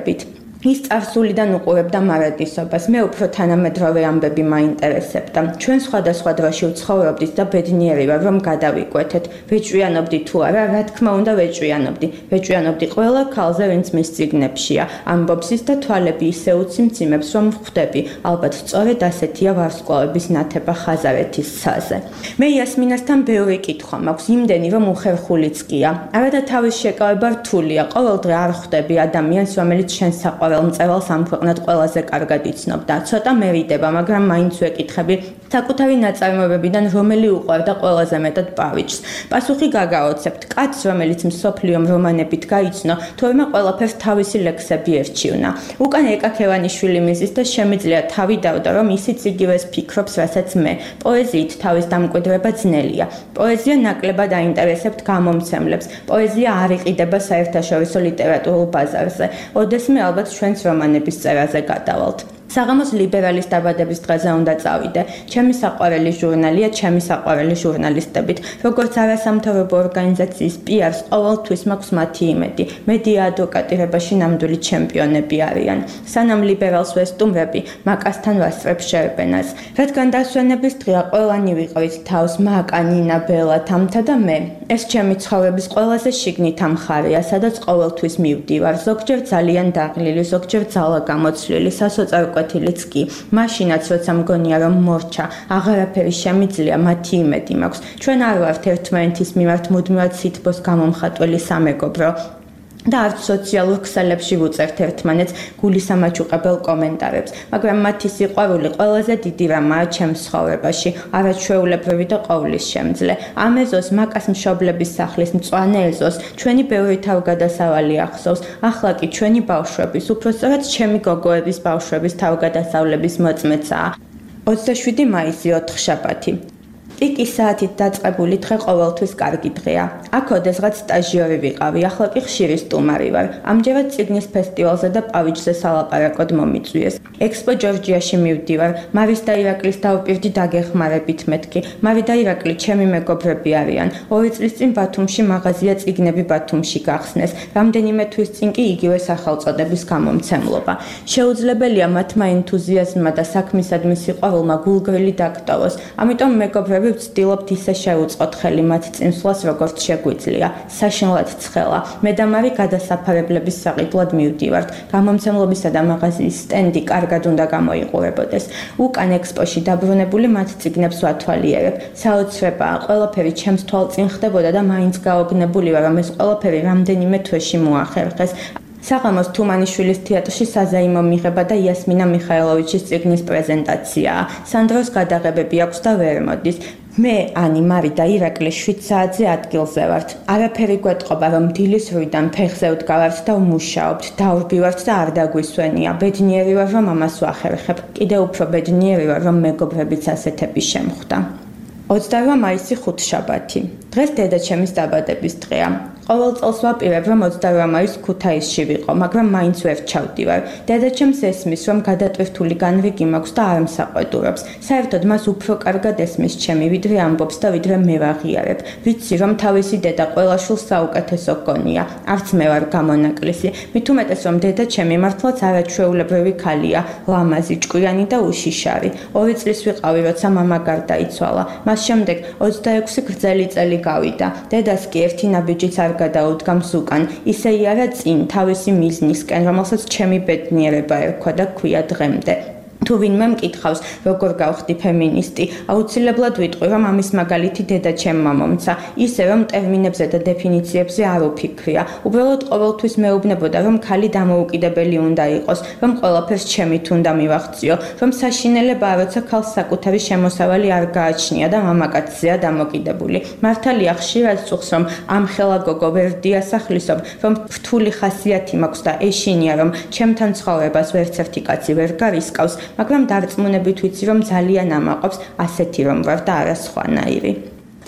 ის წარსულიდან უყურებდა მარადისობას. მე უფრო თანამედროვე ამბები მაინტერესებდა. ჩვენ სხვადასხვა დროში ვცხოვრობდით და ბედნიერი ვარ, რომ გადავიკვეთეთ. ვეჭვიანობდი თუ არა, რა თქმა უნდა ვეჭვიანობდი. ვეჭვიანობდი ყველა ქალზე, ვინც მის წიგნებშია. ამბობს ის და თვალები ისე უციმციმებს, რომ ვხვდები. ალბათ სწორედ ასეთია ვარსკვლავების ნათება ხაზარეთის ცაზე. მე იასმინასთან ბევრი კითხვა მაქვს, იმდენი რომ უხერხულიც გია. არადა თავის შეკავება რთულია. ყოველდღე არ ხვდები ადამიანს, რომელიც შენ საყვარელს მწერალს ამ ქვეყნად ყველაზე კარგად იცნობდა. ცოტა მერიდება, მაგრამ მაინც ვეკითხები, საკუთარი ნაწარმოებებიდან რომელი უყვარდა ყველაზე მეტად პავიჩს. პასუხი გაგაოცებთ. კაცს, რომელიც მსოფლიო რომანებით გაიცნო, თორემ ყველაფერს თავისი ლექსები ერჩივნა. უკან ეკაქევანიშვილი მიზის და შემიძლია თავი დავდა, რომ ისიც იგივეს ფიქრობს, რასაც მე. პოეზიით თავის დამკვიდრება ძნელია. პოეზია ნაკლებად აინტერესებთ გამომცემლებს. პოეზია არ იყიდება საერთაშორისო ლიტერატურულ ბაზარზე. ოდესმე ალბათ ჩვენს რომანების წერაზე გადავალთ. საღამოს ლიბერალის დაბადების დღეზე უნდა წავიდე. ჩემი საყვარელი ჟურნალია, ჩემი საყვარელი ჟურნალისტებით. როგორც არასამთავრობო ორგანიზაციის პი არს, ყოველთვის მაქვს მათი იმედი. მედია ადვოკატირებაში ნამდვილი ჩემპიონები არიან. სანამ ლიბერალს ვესტუმრები, მაკასთან ვასწრებ შერბენას. რადგან დასვენების დღეა, ყველანი ვიყავით თავს, მაკა, ნინა, ბელა, თამთა და მე. ეს ჩემი ცხოვრების ყველაზე შიგნითა მხარეა, სადაც ყოველთვის მივდივარ. ზოგჯერ ძალიან დაღლილი, ზოგჯერ ძალა გამოცვლილი, სასოწარკვე კვეთილიც კი. მაშინაც როცა მგონია რომ მორჩა, აღარაფერი შემიძლია, მათი იმედი მაქვს. ჩვენ არ ვართ ერთმანეთის მიმართ მუდმივად სითბოს გამომხატველი სამეგობრო. და არც სოციალურ ქსელებში ვუწერთ ერთმანეთს გულისამაჩუყებელ კომენტარებს, მაგრამ მათი სიყვარული ყველაზე დიდი რამაა ჩემს ცხოვრებაში, არაჩვეულებრივი და ყოვლის შემძლე. ამ ეზოს მაკას მშობლების სახლის მწვანე ეზოს ჩვენი ბევრი თავგადასავალი ახსოვს, ახლა კი ჩვენი ბავშვების, უпроსწორად ჩემი გოგოების ბავშვების თავგადასავლების მოწმეცაა. ოცდაშვიდი მაისი, ოთხშაბათი. ტიკი საათით დაწყებული დღე ყოველთვის კარგი დღეა. აქ ოდესღაც სტაჟიორი ვიყავი, ახლა კი ხშირი სტუმარი ვარ. ამჯერად წიგნის ფესტივალზე და პავიჩზე სალაპარაკოდ მომიწვიეს. ექსპო ჯორჯიაში მივდივარ. მარის და ირაკლის დავპირდი დაგეხმარებით მეთქი. მარი და ირაკლი ჩემი მეგობრები არიან. ორი წლის წინ ბათუმში მაღაზია წიგნები ბათუმში გახსნეს. რამდენიმე თვის წინ კი იგივე სახელწოდების გამომცემლობა. შეუძლებელია მათმა ენთუზიაზმმა და საქმისადმი სიყვარულმა გულგრილი დაგტოვოს. ამიტომ მეგობრები მეგობრები, ვცდილობთ ისე შევუწყოთ ხელი მათ წინსვლას, როგორც შეგვიძლია. საშინლად ცხელა. მე და მარი გადასაფარებლების საყიდლად მივდივართ. გამომცემლობისა და მაღაზიის სტენდი კარგად უნდა გამოიყურებოდეს. უკან ექსპოში დაბრუნებული მათ წიგნებს ვათვალიერებ. საოცრებაა, ყველაფერი ჩემს თვალწინ ხდებოდა და მაინც გაოგნებული ვარ, რომ ეს ყველაფერი რამდენიმე თვეში მოახერხეს. საღამოს თუმანიშვილის თეატრში საზაიმო მიღება და იასმინა მიხაილოვიჩის წიგნის პრეზენტაციაა. სანდროს გადაღებები აქვს და ვერ მოდის. მე, ანი, მარი და ირაკლი შვიდ საათზე ადგილზე ვართ. არაფერი გვეტყობა, რომ დილის რვიდან ფეხზე ვდგავართ და ვმუშაობთ, დავრბივართ და არ დაგვისვენია. ბედნიერი ვარ, რომ ამას ვახერხებ. კიდე უფრო ბედნიერი ვარ, რომ მეგობრებიც ასეთები შემხვდა. ოცდაორი მაისი ხუთშაბათი. დღეს დედაჩემის დაბადების დღეა. ყოველ წელს ვაპირებ, რომ ოცდაორი მაისს ქუთაისში ვიყო, მაგრამ მაინც ვერ ჩავდივარ. დედაჩემს ესმის, რომ გადატვირთული განრიგი მაქვს და არ მსაყვედურობს. საერთოდ მას უფრო კარგად ესმის ჩემი, ვიდრე ამბობს და ვიდრე მე ვაღიარებ. ვიცი, რომ თავისი დედა ყველა შვილს საუკეთესო გონია. არც მე ვარ გამონაკლისი. მით უმეტეს, რომ დედაჩემი მართლაც არაჩვეულებრივი ქალია, ლამაზი, ჭკვიანი და უშიშარი. ორი წლის ვიყავი, როცა მამა გარდაიცვალა. მას შემდეგ ოცდაექვსი გრძელი წელი გავიდა. დედას კი ერთი ნაბიჯიც არ გადაუდგამს უკან, ისე იარა წინ თავისი მიზნისკენ, რომელსაც ჩემი ბედნიერება ერქვა და ქვია დღემდე. თუ ვინმე მკითხავს, როგორ გავხდი ფემინისტი, აუცილებლად ვიტყვი, რომ ამის მაგალითი დედაჩემმა მომცა, ისე რომ ტერმინებზე და დეფინიციებზე არ უფიქრია. უბრალოდ ყოველთვის მეუბნებოდა, რომ ქალი დამოუკიდებელი უნდა იყოს, რომ ყველაფერს ჩემით უნდა მივახციო, რომ საშინელებაა, როცა ქალს საკუთარი შემოსავალი არ გააჩნია და მამაკაცზეა დამოკიდებული. მართალია ხშირად წუხს, რომ ამ ხელა გოგო ვერ დიასახლისობ, რომ რთული ხასიათი მაქვს და ეშინია, რომ ჩემთან ცხოვრებას ვერცერთი კაცი ვერ გარისკავს. მაგრამ დარწმუნებით ვიცი, რომ ძალიან ამაყობს ასეთი რომ ვარ და არა სხვანაირი.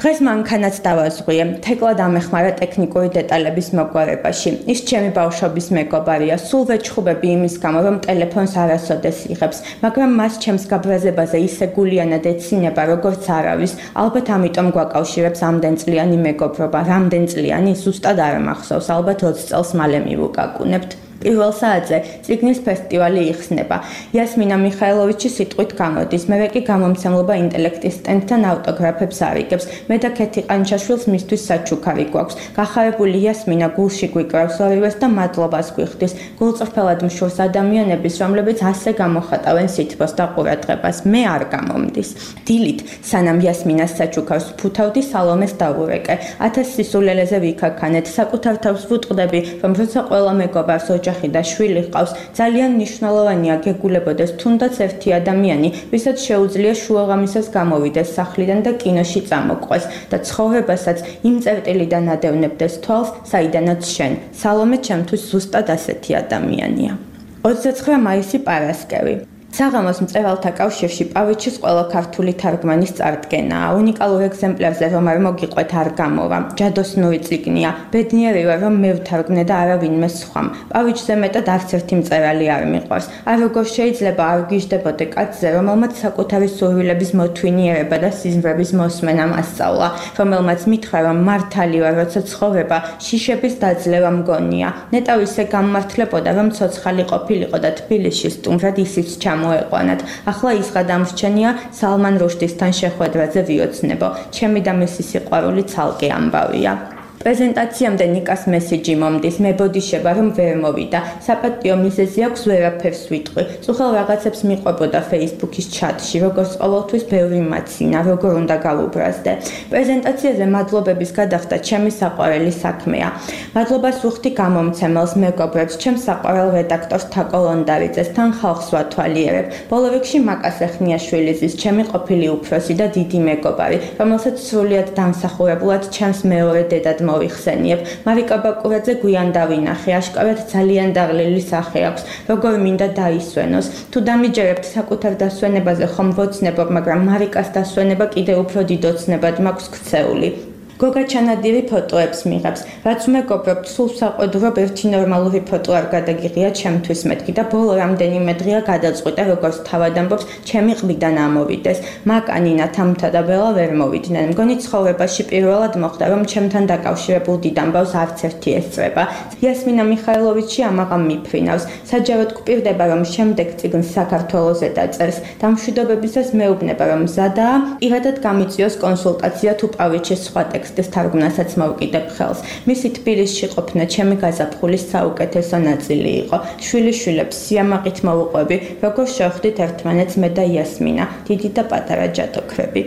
დღეს მანქანაც დავაზღვიე, თეკლა დამეხმარა ტექნიკური დეტალების მოგვარებაში. ის ჩემი ბავშვობის მეგობარია, სულ ვეჩხუბები იმის გამო, რომ ტელეფონს არასოდეს იღებს, მაგრამ მას ჩემს გაბრაზებაზე ისე გულიანად ეცინება, როგორც არავის. ალბათ ამიტომ გვაკავშირებს ამდენწლიანი მეგობრობა, რამდენწლიანი, ზუსტად არ მახსოვს, ალბათ ოცი წელს მალე მივუკაკუნებთ. პირველ საათზე წიგნის ფესტივალი იხსნება. იასმინა მიხაილოვიჩი სიტყვით გამოდის, მე კი გამომცემლობა ინტელექტის სტენდთან ავტოგრაფებს არიგებს. მე და ქეთი ყანჩაშვილს მისთვის საჩუქარი გვაქვს. გახარებული იასმინა გულში გვიკრავს ორივეს და მადლობას გვიხდის. გულწრფელად მშურს ადამიანების, რომლებიც ასე გამოხატავენ სითბოს და ყურადღებას. მე არ გამომდის. დილით, სანამ იასმინას საჩუქარს ფუთავდი, სალომეს დავურეკე. ათას სისულელეზე ვიქაქანეთ, საკუთარ თავს ვუტყდები, რომ როცა ყველა მეგობარს ოჯახი და შვილი ყავს, ძალიან მნიშვნელოვანია გეგულებოდეს თუნდაც ერთი ადამიანი, ვისაც შეუძლია შუაღამისას გამოვიდეს სახლიდან და კინოში წამოყვეს და ცხოვრებასაც იმ წერტილიდან ადევნებდეს თვალს, საიდანაც შენ. სალომე ჩემთვის ზუსტად ასეთი ადამიანია. ოცდაცხრა მაისი პარასკევი. საღამოს მწერალთა კავშირში პავიჩის ყველა ქართული თარგმანის წარდგენაა. უნიკალურ ეგზემპლარზე რომ არ მოგიყვეთ არ გამოვა. ჯადოსნური წიგნია. ბედნიერი ვარ, რომ მე ვთარგმნე და არავინმე სხვამ. პავიჩზე მეტად არც ერთი მწერალი არ მიყვარს. არ როგორ შეიძლება არ გიждდებოდე კაცზე, რომელმაც საკუთარი სურვილების მოთვინიერება და სიზმრების მოსმენა მასწავლა, რომელმაც მითხრა, რომ მართალი ვარ, როცა ცხოვრება შიშების დაძლევა მგონია. ნეტავ ისე გამმართლებოდა, რომ ცოცხალი ყოფილიყო და თბილისში სტუმრად ისიც ჩამ მოეყვანათ. ახლა ის გადამრჩენია სალმან რუშდისთან შეხვედრაზე ვიოცნებო. ჩემი და მისი სიყვარული ცალკე ამბავია. პრეზენტაციამდე ნიკას მესიჯი მომდის, მებოდიშება რომ ვერ მოვიდა. საპატიო მიზეზი აქვს ვერაფერს ვიტყვი. წუხელ რაღაცებს მიყვებოდა Facebook-ის ჩატში, როგორც ყოველთვის ბევრი მაცინა, როგორ უნდა გავუბრაზდე. პრეზენტაციაზე მადლობების გადახდა ჩემი საყვარელი საქმეა. მადლობას ვუხდი გამომცემელს, მეგობრებს, ჩემს საყვარელ რედაქტორს თაკო ლონდარიძეს, თან ხალხს ვათვალიერებ. ბოლო რიგში მაკას ეხნიაშვილის, ჩემი ყოფილი უფროსი და დიდი მეგობარი, რომელსაც სრულიად დამსახურებულად ჩემს მეორე დედად მოვიხსენიებ. მარიკა ბაკურაძე გვიან დავინახე, აშკარად ძალიან დაღლილი სახე აქვს, როგორ მინდა დაისვენოს. თუ დამიჯერებთ საკუთარ დასვენებაზე ხომ ვოცნებობ, მაგრამ მარიკას დასვენება კიდევ უფრო დიდ ოცნებად მაქვს ქცეული. გოგა ჩანადირი ფოტოებს მიღებს. რაც მეგობრობთ, სულ საყვედურობ ერთი ნორმალური ფოტო არ გადაგიღია ჩემთვის მეთქი და ბოლო რამდენიმე დღეა გადაწყვიტა როგორც თავად ამბობს, ჩემი ყბიდან ამოვიდეს. მაკანინა თამთა და ბელა ვერ მოვიდნენ. მგონი ცხოვრებაში პირველად მოხდა, რომ ჩემთან დაკავშირებულ დიდ ამბავს არც ერთი ესწრება. იასმინა მიხაილოვიჩი ამაღამ მიფრინავს. საჯაროდ გვპირდება, რომ შემდეგ წიგნს საქართველოზე დაწერს. დამშვიდობებისას მეუბნება, რომ მზადაა, პირადად გამიწიოს კონსულტაცია თუ პავლიჩის სხვა ტექსტის თარგმნასაც მოვკიდებ ხელს. მისი თბილისში ყოფნა ჩემი გაზაფხულის საუკეთესო ნაწილი იყო. შვილიშვილებს სიამაყით მოვუყვები, როგორ შევხვდით ერთმანეთს მე და იასმინა, დიდი და პატარა ჯადოქრები.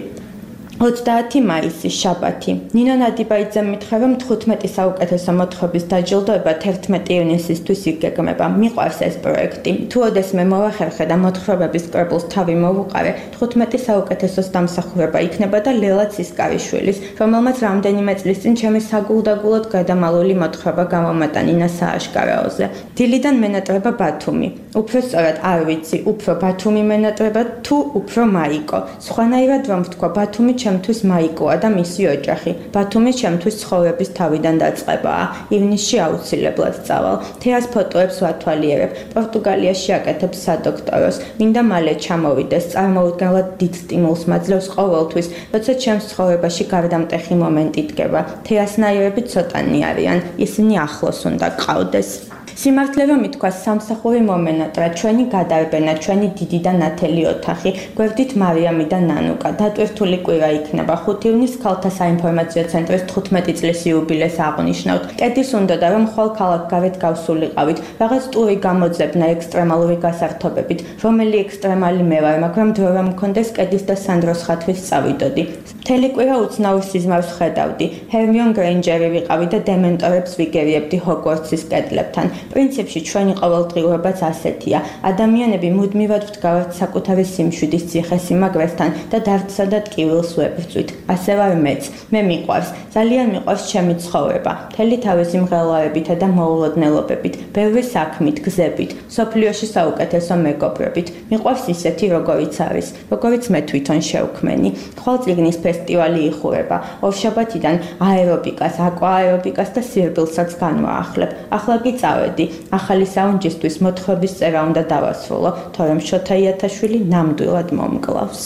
ოცდაათი მაისი, შაბათი. ნინო ნადიბაიძე მითხრა, რომ თხუთმეტი საუკეთესო მოთხრობის დაჯილდოება თერთმეტი ივნისისთვის იგეგმება. მიყვარს ეს პროექტი. თუ ოდესმე მოვახერხე და მოთხრობების კრებულს თავი მოვუყარე, თხუთმეტი საუკეთესოს დამსახურება იქნება და ლელა ცისკარიშვილის, რომელმაც რამდენიმე წლის წინ ჩემი საგულდაგულოდ გადამალული მოთხრობა გამომატანინა სააშკარაოზე. დილიდან მენატრება ბათუმი. უფრო სწორად არ ვიცი, უფრო ბათუმი მენატრება თუ უფრო მაიკო. სხვანაირად რომ ვთქვა, ბათუმი ჩემთვის მაიკოა და მისი ოჯახი. ბათუმი ჩემთვის ცხოვრების თავიდან დაწყებაა. ივნისში აუცილებლად წავალ. თეას ფოტოებს ვათვალიერებ. პორტუგალიაში აკეთებ სადოქტოროს. მინდა მალე ჩამოვიდეს. წარმოუდგენლად დიდ სტიმულს მაძლევს ყოველთვის, როცა ჩემს ცხოვრებაში გარდამტეხი მომენტი დგება. თეასნაირები ცოტანი არიან. ისინი ახლოს უნდა გყავდეს. სიმართლე რომ ითქვას, სამსახური მომენატრა, ჩვენი გადარბენა, ჩვენი დიდი და ნათელი ოთახი, გვერდით მარიამი და ნანუკა, დატვირთული კვირა იქნება. ხუთი ივნის ქალთა საინფორმაციო ცენტრის თხუთმეტი წლის იუბილეს აღნიშნავთ. კედის უნდოდა რომ ხვალ ქალაქგარეთ გავსულიყავით, რაღაც ტური გამოძებნა ექსტრემალური გასართობებით, რომელი ექსტრემალი მე ვარ, მაგრამ დრო რომ მქონდეს კედის და სანდროს ხათვით წავიდოდი. მთელი კვირა უცნაურ სიზმარს ხედავდი. ჰერმიონ გრეინჯერი ვიყავი და დემენტორებს ვიგერიებდი ჰოგვორტსის კედლებთან. პრინციპში ჩვენი ყოველდღიურობაც ასეთია. ადამიანები მუდმივად ვდგავართ საკუთარი სიმშვიდის ციხესიმაგრესთან და დარდსა და ტკივილს ვებრძვით. ასე ვარ მეც. მე მიყვარს. ძალიან მიყვარს ჩემი ცხოვრება. მთელი თავისი მღელვარებითა და მოულოდნელობებით, ბევრი საქმით, გზებით, სოფლიოში საუკეთესო მეგობრებით. მიყვარს ისეთი, როგორიც არის, როგორიც მე თვითონ შევქმენი. ხვალ წიგნის ფესტივალი იხურება. ორშაბათიდან აერობიკას, აკვაერობიკას და სირბილსაც განვაახლებ. ახლა კი წავედი. ახალი საუნჯისთვის მოთხრობის წერა უნდა დავასრულო, თორემ შოთა იათაშვილი ნამდვილად მომკლავს.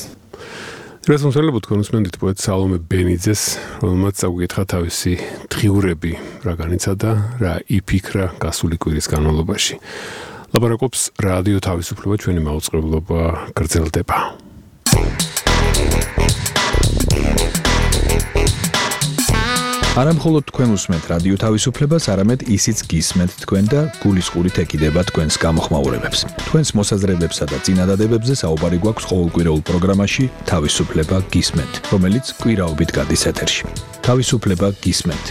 დღეს მომსწრებლებთ კონსმენდით პოეტ სალომე ბენიძეს, რომელმაც წაგვიკითხა თავისი დღიურები, რა განიცადა, რა იფიქრა გასული კვირის განმავლობაში. ლაპარაკობს რადიო თავისუფლება, ჩვენი მაუწყებლობა გრძელდება.
არა მხოლოდ თქვენ უსმენთ რადიო თავისუფლებას, არამედ ისიც გისმენთ თქვენ და გულისყურით ეკიდება თქვენს გამოხმაურებებს. თქვენს მოსაზრებებსა და წინადადებებზე საუბარი გვაქვს ყოველკვირეულ პროგრამაში თავისუფლება გისმენთ, რომელიც კვირაობით გადის ეთერში. თავისუფლება გისმენთ.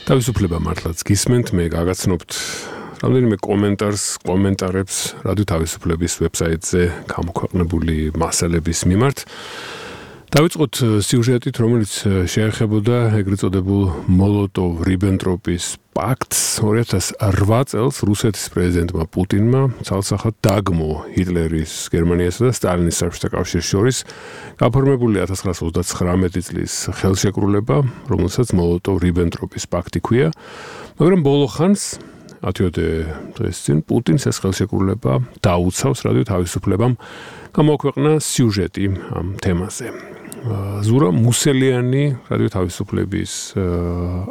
თავისუფლება მართლაც გისმენთ, მე გაგაცნობთ რამდენიმე კომენტარს, კომენტარებს რადიო თავისუფლების ვებსაიტზე გამოქვეყნებული მასალების მიმართ. დავიწყოთ სიუჟეტით, რომელიც შეეხებოდა ეგრეთ წოდებულ მოლოტოვ-რიბენტროპის პაქტს. ორი ათას ოთხ წელს რუსეთის პრეზიდენტმა პუტინმა ცალსახად დაგმო ჰიტლერის, გერმანიასა და სტალინის საბჭოთა კავშირის შორის გაფორმებული ათას ცხრაასი ოცდათხრამეტი წლის ხელშეკრულება, რომელსაც მოლოტოვ-რიბენტროპის პაქტი ჰქვია, მაგრამ ბოლო ხანს ათიოდე დღეს წინ პუტინს ეს ხელშეკრულება დაუცავს რადიო თავისუფლებამ. გამოაქვეყნა სიუჟეტი ამ თემაზე. ზურა მუსელიანი რადიო თავისუფლების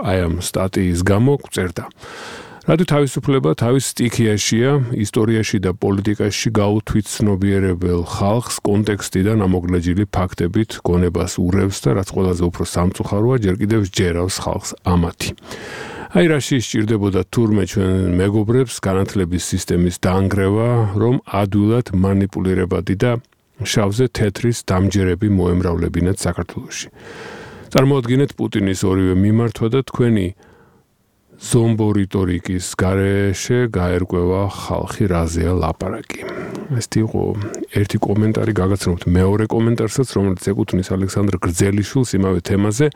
აი ამ სტატიის გამო წერდა. რადიო თავისუფლება თავის სტიქიაშია ისტორიაში და პოლიტიკაში გაუთვითცნობიერებელ ხალხს კონტექსტიდან ამოგლეჯილი ფაქტებით გონებას ურევს და რაც ყველაზე უფრო სამწუხაროა, ჯერ კიდევ ჯერავს ხალხს ამათი. აი რაში სჭირდებოდა თურმე ჩვენ მეგობრებს განათლების სისტემის დაანგრევა, რომ ადვილად მანიპულირებადი და შავზე თეთრის დამჯერები მოემრავლებინათ საქართველოში. წარმოადგინეთ პუტინის ორივე მიმართვა და თქვენი ზომბორიტორიკის გარეშე გაერკვევა ხალხი რაზეა ლაპარაკი. ეს იყო ერთი კომენტარი, გაგაცნობთ მეორე კომენტარსაც, რომელიც ეკუთვნის ალექსანდრ გრძელიშვილს იმავე თემაზე.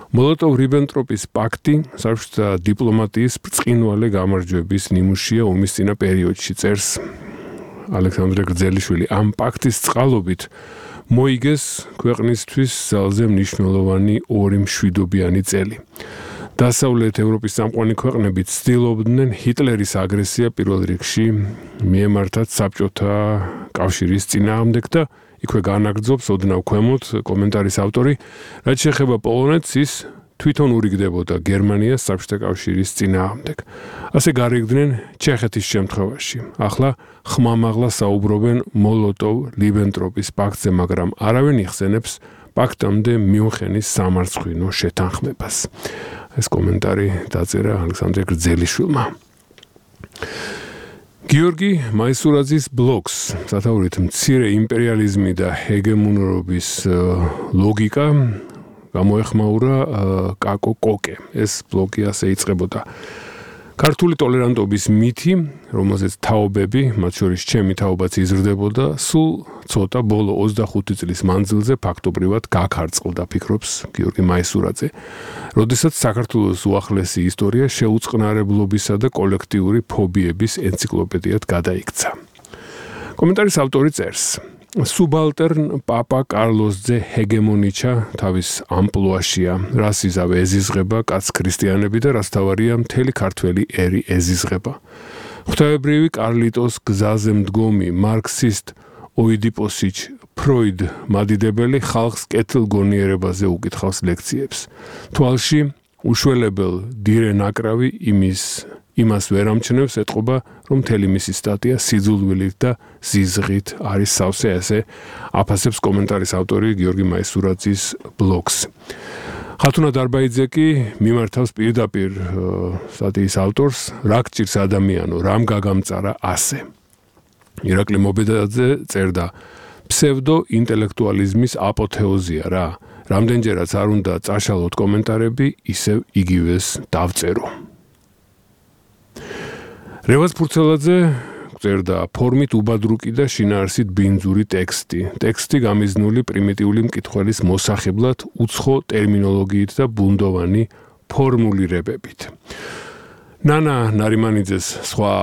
მოლოტოვ-რიბენტროპის პაქტი საბჭოთა დიპლომატიის ბრწყინვალე გამარჯვების ნიმუშია ომის წინა პერიოდში, წერს ალექსანდრე გრძელიშვილი. ამ პაქტის წყალობით მოიგეს ქვეყნისთვის ძალზე მნიშვნელოვანი ორი მშვიდობიანი წელი. დასავლეთ ევროპის წამყვანი ქვეყნები ცდილობდნენ ჰიტლერის აგრესია პირველ რიგში მიემართათ საბჭოთა კავშირის წინააღმდეგ და იქვე განაგრძობს ოდნავ ქვემოთ კომენტარის ავტორი, რაც შეეხება პოლონეთს, ის თვითონ ურიგდებოდა გერმანიას საბჭოთა კავშირის წინააღმდეგ. ასე გარიგდნენ ჩეხეთის შემთხვევაში. ახლა ხმამაღლა საუბრობენ მოლოტოვ-რიბენტროპის პაქტზე, მაგრამ არავინ იხსენებს პაქტამდე მიუნხენის სამარცხვინო შეთანხმებას. ეს კომენტარი დაწერა ალექსანდრე გრძელიშვილმა. გიორგი მაისურაძის ბლოგს სათაურით მცირე იმპერიალიზმი და ჰეგემონურობის ლოგიკა გამოეხმაურა კაკო კოკე. ეს ბლოგი ასე იწყებოდა. ქართული ტოლერანტობის მითი, რომელზეც თაობები, მათ შორის ჩემი თაობაც იზრდებოდა, სულ ცოტა ბოლო ოცდახუთი წლის მანძილზე ფაქტობრივად გაქარწყლდა, ფიქრობს გიორგი მაისურაძე. როდესაც საქართველოს უახლესი ისტორია შეუწყნარებლობისა და კოლექტიური ფობიების ენციკლოპედიად გადაიქცა. კომენტარის ავტორი წერს: სუბალტერნ პაპა კარლოსძე ჰეგემონიჩა თავის ამპლუაშია, რას იზავ ეზიზღება კაც ქრისტიანები და რას თავარია მთელი ქართველი ერი ეზიზღება. ღვთაებრივი კარლიტოს გზაზე მდგომი მარქსისტ ოიდიპოსიჩ ფროიდ მადიდებელი ხალხს კეთილგონიერებაზე უკითხავს ლექციებს. თვალში უშველებელ დირე ნაკრავი იმის იმას ვერ ამჩნევს, ეტყობა, რომ მთელი მისი სტატია სიძულვილით და ზიზღით არის სავსე, ასე აფასებს კომენტარის ავტორი გიორგი მაისურაძის ბლოგს. ხათუნა დარბაიძე კი მიმართავს პირდაპირ სტატიის ავტორს, რა გჭირს ადამიანო, რამ გაგამწარა ასე. ირაკლი მობედაძე წერდა: ფსევდო ინტელექტუალიზმის აპოთეოზია რა. რამდენჯერაც არ უნდა წაშალოთ კომენტარები, ისევ იგივეს დავწერო. რევაზ ფურცელაძე წერდა: ფორმით უბადრუკი და შინაარსით ბინძური ტექსტი. ტექსტი გამიზნული პრიმიტიული მკითხველის მოსახებლად უცხო ტერმინოლოგიით და ბუნდოვანი ფორმულირებებით. ნანა ნარიმანიძეს სხვა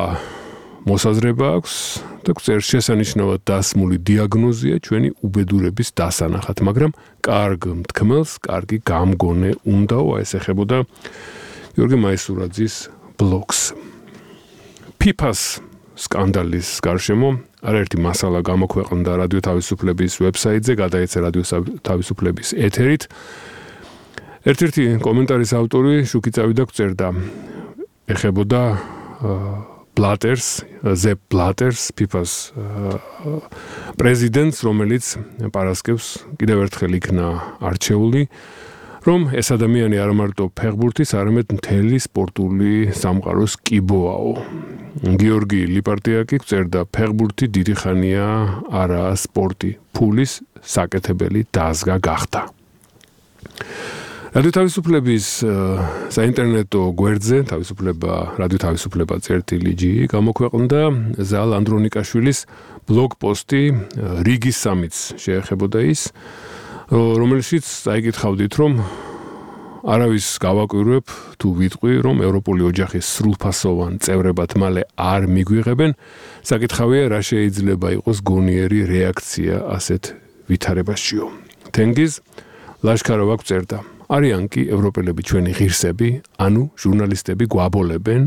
მოსაზრება აქვს და წერს: შესანიშნავად დასმული დიაგნოზია ჩვენი უბედურების დასანახად, მაგრამ კარგ მთქმელს კარგი გამგონე უნდაო, ეს ეხებოდა გიორგი მაისურაძის ბლოგს. ფიფას სკანდალის გარშემო არაერთი მასალა გამოქვეყნდა რადიო თავისუფლების ვებსაიტზე, გადაეცა რადიო თავისუფლების ეთერით. ერთ-ერთი კომენტარის ავტორი შუქი წავიდა წერდა, ეხებოდა ბლატერს, ზეპ ბლატერს, ფიფას პრეზიდენტს, რომელიც პარასკევს კიდევ ერთხელ იქნა არჩეული, რომ ეს ადამიანი არ მარტო ფეხბურთის, არამედ მთელი სპორტული სამყაროს კიბოაო. გიორგი ლიპარტია კი წერდა: ფეხბურთი დიდი ხანია არაა სპორტი, ფულის საკეთებელი დაზგა გახდა. რადიო თავისუფლების საინტერნეტო გვერდზე თავისუფლება რადიო თავისუფლება წერტილი ჯი გამოქვეყნდა ზალ ანდრონიკაშვილის ბლოგ პოსტი რიგის სამიც შეეხებოდა ის, რომელშიც წაიკითხავდით, რომ არავის გავაკვირვებ თუ ვიტყვი, რომ ევროპული ოჯახის სრულფასოვან წევრებად მალე არ მიგვიღებენ, საკითხავია, რა შეიძლება იყოს გონიერი რეაქცია ასეთ ვითარებაშიო. თენგიზ ლაშქაროვა წერდა: არიან კი ევროპელები ჩვენი ღირსები, ანუ ჟურნალისტები გვაბოლებენ.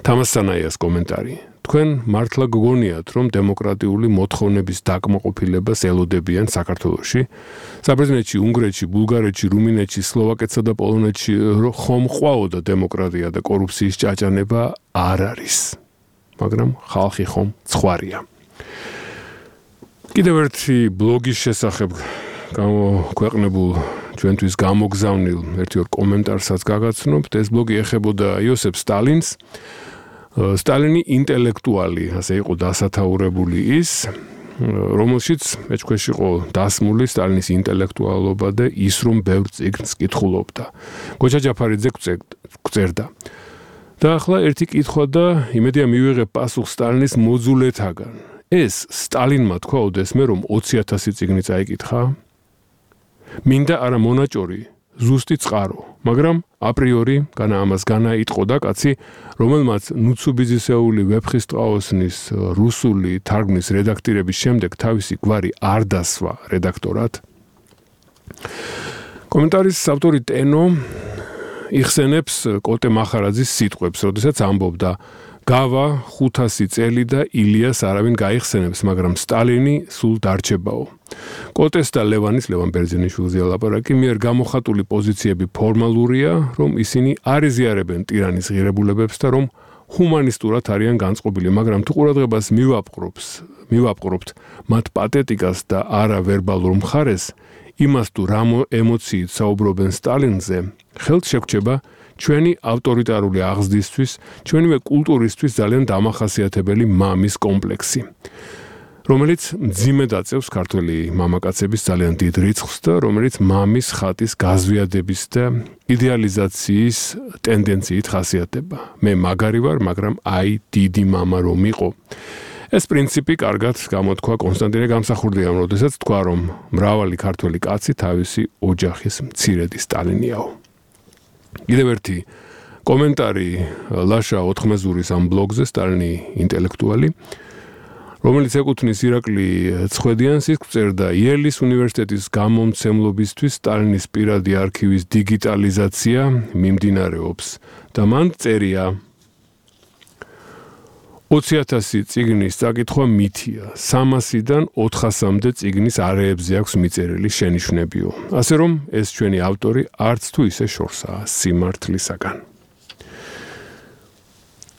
თამასსანაიას კომენტარი: თქვენ მართლა გგონიათ, რომ დემოკრატიული მოთხოვნების დაკმაყოფილებას ელოდებიან საქართველოში? საბერძნეთში, უნგრეთში, ბულგარეთში, რუმინეთში, სლოვაკეთსა და პოლონეთში ხომ ყვაოდა დემოკრატია და კორუფციის ჭაჭანება? არ არის. მაგრამ ხალხი ხომ ცხვარია. კიდევ ერთი ბლოგის შესახებ გამოქვეყნებულ ჩვენთვის გამოგზავნილ ერთი ორ კომენტარსაც გაგაცნობთ. ეს ბლოგი ეხებოდა იოსებ სტალინს. სტალინი ინტელექტუალი, ასე იყო დასათაურებული ის, რომელშიც მეჩქვეშ იყო დასმული სტალინის ინტელექტუალობა და ის, რომ ბევრ წიგნს კითხულობდა. გოჩა ჯაფარიძე წერდა: და ახლა ერთი კითხვა და იმედია მივიღებ პასუხს სტალინის მოძულეთაგან. ეს სტალინმა თქვა ოდესმე, რომ ოცი ათასი წიგნი წაიკითხა? მინდა არა მონაჭორი, ზუსტი წყარო, მაგრამ აპრიორი განა ამას განაიტყოდა კაცი, რომელმაც ნუცუბიზისეული ვეფხისტყაოსნის რუსული თარგმნის რედაქტირების შემდეგ თავისი გვარი არ დასვა რედაქტორად. კომენტარის ავტორი ტენო იხსენებს კოტე მახარაძის სიტყვებს, როდესაც ამბობდა გავა ხუთასი წელი და ილიას არავინ გაიხსენებს, მაგრამ სტალინი სულ დარჩებაო. კოტეს და ლევანის, ლევან ბერძენიშვილზე ლაპარაკი, მიერ გამოხატული პოზიციები ფორმალურია, რომ ისინი არ იზიარებენ ტირანის ღირებულებებს და რომ ჰუმანისტურად არიან განწყობილი, მაგრამ თუ ყურადღებას მივაპყრობს, მივაპყრობთ მათ პათეტიკას და არა ვერბალურ მხარეს, იმას თუ რა ემოციით საუბრობენ სტალინზე, ხელთ შეგვჭება ჩვენი ავტორიტარული აღზრდისთვის, ჩვენივე კულტურისთვის ძალიან დამახასიათებელი მამის კომპლექსი, რომელიც მძიმედ აწევს ქართველი მამაკაცების ძალიან დიდ რიცხვს და რომელიც მამის ხატის გაზვიადების და იდეალიზაციის ტენდენციით ხასიათდება. მე მაგარი ვარ, მაგრამ აი დიდი მამა რომ იყო. ეს პრინციპი კარგად გამოთქვა კონსტანტინე გამსახურდიამ, როდესაც თქვა, რომ მრავალი ქართველი კაცი თავისი ოჯახის მცირედი სტალინიაო. კიდევ ერთი კომენტარი ლაშა ოთხმეზურის ამ ბლოგზე, სტალინი ინტელექტუალი, რომელიც ეკუთვნის ირაკლი ცხვედიანს, ის წერდა იელის უნივერსიტეტის გამომცემლობისთვის სტალინის პირადი არქივის დიგიტალიზაცია მიმდინარეობს და მან წერია ოცი ათასი წიგნის წაკითხვა მითია, სამასიდან ოთხასამდე წიგნის არეებზე აქვს მიწერილი შენიშვნებიო. ასე რომ ეს ჩვენი ავტორი არც თუ ისე შორსაა სიმართლისაგან.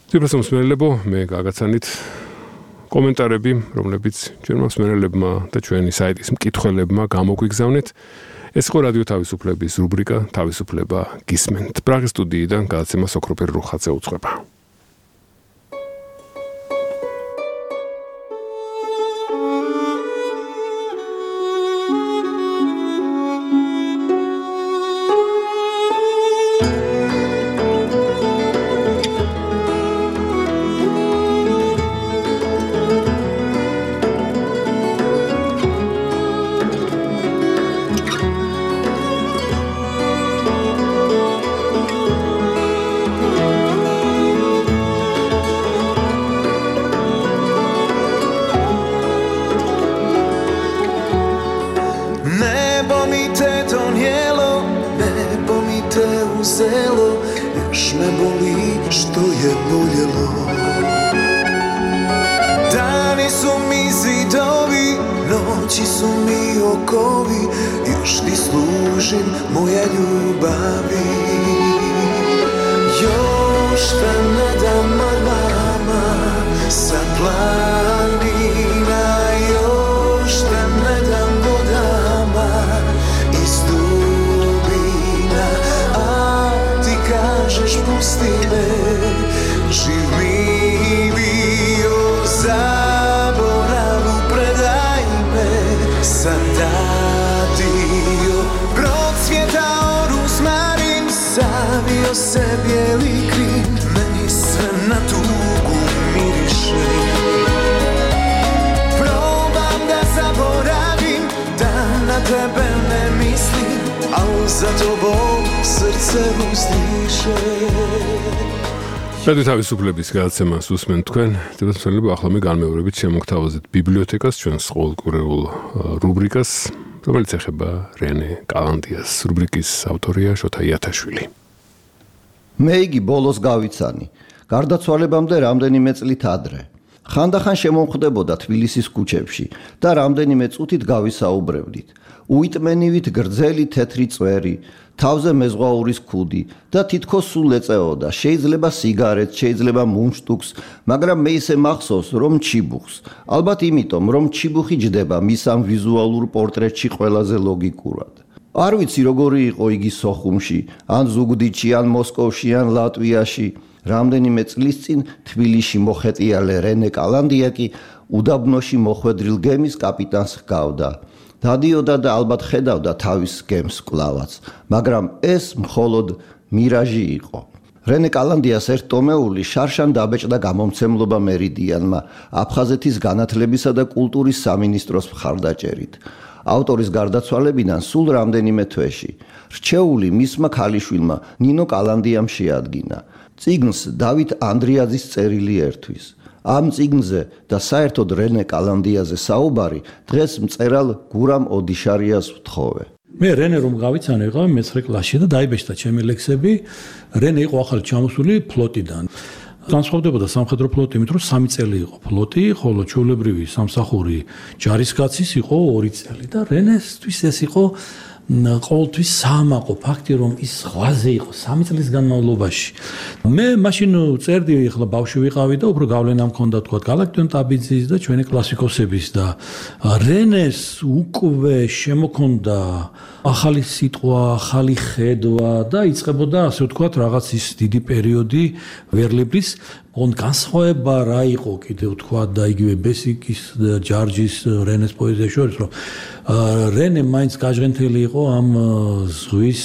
ძირფასო მსმენელებო, მე გაგაცანით კომენტარები, რომლებიც ჩვენმა მსმენელებმა და ჩვენი საიტის მკითხველებმა გამოგვიგზავნეთ. ეს იყო რადიო თავისუფლების რუბრიკა თავისუფლება გისმენთ. პრაღის სტუდიიდან გადაცემა სოქროფერ რუხაძე უწყება. რადიო თავისუფლების გადაცემას უსმენთ თქვენ. დეპუტატები ახლა მე განმეორებით შემოგთავაზეთ ბიბლიოთეკას, ჩვენს ყოველკვირეულ რუბრიკას, რომელიც ეხება რენე კალანდიას. რუბრიკის ავტორია შოთა იათაშვილი.
მე იგი ბოლოს გავიცანი. გარდაცვალებამდე რამდენიმე წლით ადრე. ხანდახან შემომხვდებოდა თბილისის ქუჩებში და რამდენიმე წუთით გავისაუბრებდით. უიტმენივით გრძელი თეთრი წვერი, თავზე მეზღვაურის ქუდი და თითქოს სულ ეწეოდა, შეიძლება სიგარეტს, შეიძლება მუნშტუკს, მაგრამ მე ისე მახსოვს, რომ ჩიბუხს. ალბათ იმიტომ, რომ ჩიბუხი ჯდება მის ამ ვიზუალურ პორტრეტში ყველაზე ლოგიკურად. არ ვიცი როგორი იყო იგი სოხუმში, ან ზუგდიდში, ან მოსკოვში, ან ლატვიაში. რამდენიმე წლის წინ თბილისში მოხეტიალე რენე კალანდია კი უდაბნოში მოხვედრილ გემის კაპიტანს ჰგავდა. დადიოდა და ალბათ ხედავდა თავის გემს კლავაც, მაგრამ ეს მხოლოდ მირაჟი იყო. რენე კალანდიას ერთ ტომეული შარშან დაბეჭდა გამომცემლობა მერიდიანმა აფხაზეთის განათლებისა და კულტურის სამინისტროს მხარდაჭერით. ავტორის გარდაცვალებიდან სულ რამდენიმე თვეში. რჩეული მისმა ქალიშვილმა ნინო კალანდიამ შეადგინა. წიგნს დავით ანდრიაძის წერილი ერთვის. ამ წიგნზე და საერთოდ რენე კალანდიაზე საუბარი დღეს მწერალ გურამ ოდიშარიას ვთხოვე.
მე რენე რომ გავიცანე, ვიყავი მეცხრე კლასში და დაიბეჭდა ჩემი ლექსები. რენე იყო ახალი ჩამოსული ფლოტიდან. განსხვავდებოდა სამხედრო ფლოტი იმით, რომ სამი წელი იყო ფლოტი, ხოლო ჩვეულებრივი სამსახური ჯარისკაცის იყო ორი წელი და რენესთვის ეს იყო ყოველთვის საამაყო ფაქტი, რომ ის ზღვაზე იყო სამი წლის განმავლობაში. მე მაშინ წერდი, ახლა ბავშვი ვიყავი და უფრო გავლენა მქონდა თქვა გალაქტიონ ტაბიძის და ჩვენი კლასიკოსების და რენეს უკვე შემოქონდა ახალი სიტყვა, ახალი ხედვა და იწყებოდა ასე ვთქვათ რაღაც ის დიდი პერიოდი ვერლებლის on განსხვავება რა იყო კიდევ თქვა და იგივე ბესიკის ჯარჯის რენეს პოეზია შორის რომ რენე მაინც გაჟღენთელი იყო ამ ზღვის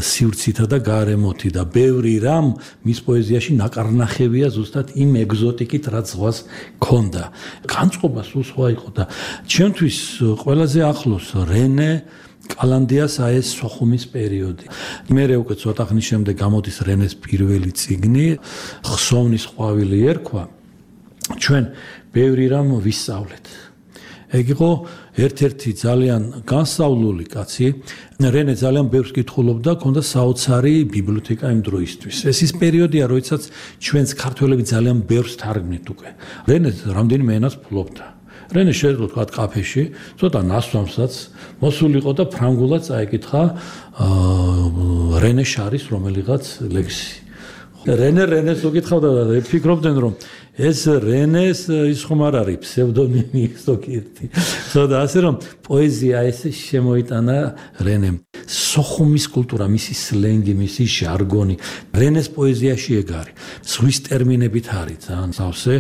სივრცითა და გარემოთი და ბევრი რამ მის პოეზიაში ნაკარნახებია ზუსტად იმ ეგზოტიკით რაც ზღვას ქონდა განწყობა სულ სხვა იყო და ჩემთვის ყველაზე ახლოს რენე კალანდიას აეს სოხუმის პერიოდი. მე უკვე ცოტა ხნის შემდეგ გამოდის რენეს პირველი წიგნი, ხსოვნის ყვავილი ერქვა. ჩვენ ბევრი რამ ვისწავლეთ. ეგ იყო ერთ-ერთი ძალიან განსწავლული კაცი. რენე ძალიან ბევრს კითხულობდა, ჰქონდა საოცარი ბიბლიოთეკა იმ დროისთვის. ეს ის პერიოდია, როდესაც ჩვენს ქართველები ძალიან ბევრს თარგმნით უკვე. რენე რამდენიმე ენას ფლობდა. რენე შეეძლო თქვა კაფეში, ცოტა ნასვამსაც მოსულიყო და ფრანგულად წაიკითხა რენე შარის რომელიღაც ლექსი. რენე რენეს უკითხავდა და ფიქრობდნენ რომ ეს რენეს ის ხომ არ არის ფსევდონიმი ზოგიერთი. ხოდა ასე რომ პოეზია ეს შემოიტანა რენემ. სოხუმის კულტურა, მისი სლენგი, მისი ჟარგონი, რენეს პოეზიაში ეგ არის. ზღვის ტერმინებით არის ძალიან სავსე,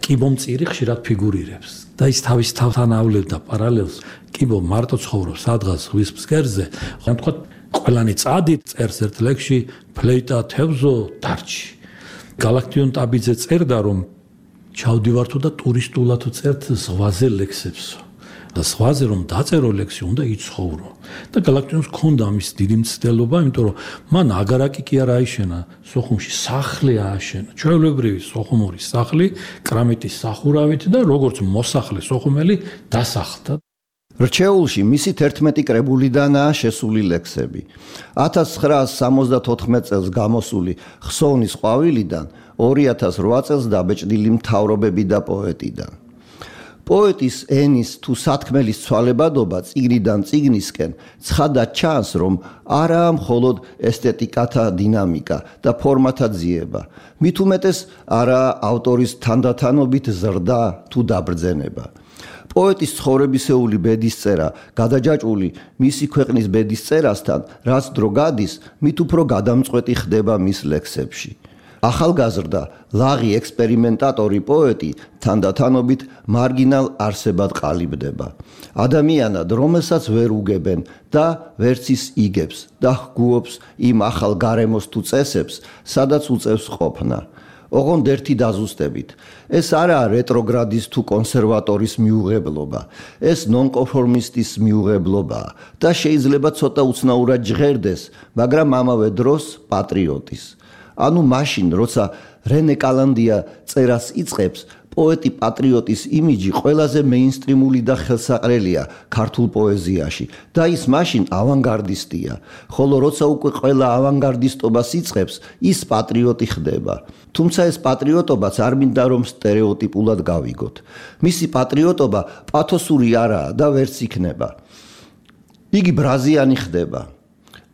კიბომწირი ხშირად ფიგურირებს. და ის თავის თავთან ავლევდა პარალელს. კიბო მარტო ცხოვრობს სადღაც ზღვის ფსკერზე. ხომ თქვა ყველანი წადით წერს ერთ ლექსში ფლეიტა თევზო დარჩი. გალაქტიონ ტაბიძე წერდა რომ ჩავდივარ თუ და ტურისტულად წერთ ზღვაზე ლექსებსო. და ზღვაზე რომ დაწერო ლექსი უნდა იცხოვრო. და გალაქტიონს ჰქონდა ამის დიდი მცდელობა, იმიტომ რომ მან აგარაკი კი არ აიშენა, სოხუმში სახლი ააშენა. ჩვეულებრივი სოხუმური სახლი, კრამიტის სახურავით და როგორც მოსახლე სოხუმელი დასახლდა.
რჩეულში მისი თერთმეტი კრებულიდანაა შესული ლექსები. ათას ცხრაას სამოცდათოთხმეტ წელს გამოსული ხსოვნის ყვავილიდან, ორი ათას რვა წელს დაბეჭდილი მთავრობები და პოეტიდან. პოეტის ენის თუ სათქმელის ცვალებადობა წიგნიდან წიგნისკენ ცხადად ჩანს, რომ არაა მხოლოდ ესთეტიკათა დინამიკა და ფორმათა ძიება. მით უმეტეს არაა ავტორის თანდათანობით ზრდა თუ დაბრძენება. პოეტის ცხოვრებისეული ბედისწერა გადაჯაჭვული მისი ქვეყნის ბედისწერასთან, რაც დრო გადის, მით უფრო გადამწყვეტი ხდება მის ლექსებში. ახალგაზრდა, ლაღი ექსპერიმენტატორი პოეტი თანდათანობით მარგინალ არსებად ყალიბდება. ადამიანად, რომელსაც ვერ უგებენ და ვერც ის იგებს და ჰგუობს იმ ახალ გარემოს თუ წესებს, სადაც უწევს ყოფნა. ოღონდ ერთი დაზუსტებით. ეს არაა რეტროგრადის თუ კონსერვატორის მიუღებლობა, ეს ნონკონფორმისტის მიუღებლობაა და შეიძლება ცოტა უცნაურად ჟღერდეს, მაგრამ ამავე დროს პატრიოტის. ანუ მაშინ, როცა რენე კალანდია წერას იწყებს, პოეტი პატრიოტის იმიჯი ყველაზე მეინსტრიმული და ხელსაყრელია ქართულ პოეზიაში და ის მაშინ ავანგარდისტია, ხოლო როცა უკვე ყველა ავანგარდისტობას იწყებს, ის პატრიოტი ხდება. თუმცა ეს პატრიოტობაც არ მინდა რომ სტერეოტიპულად გავიგოთ. მისი პატრიოტობა პათოსური არაა და ვერც იქნება. იგი ბრაზიანი ხდება.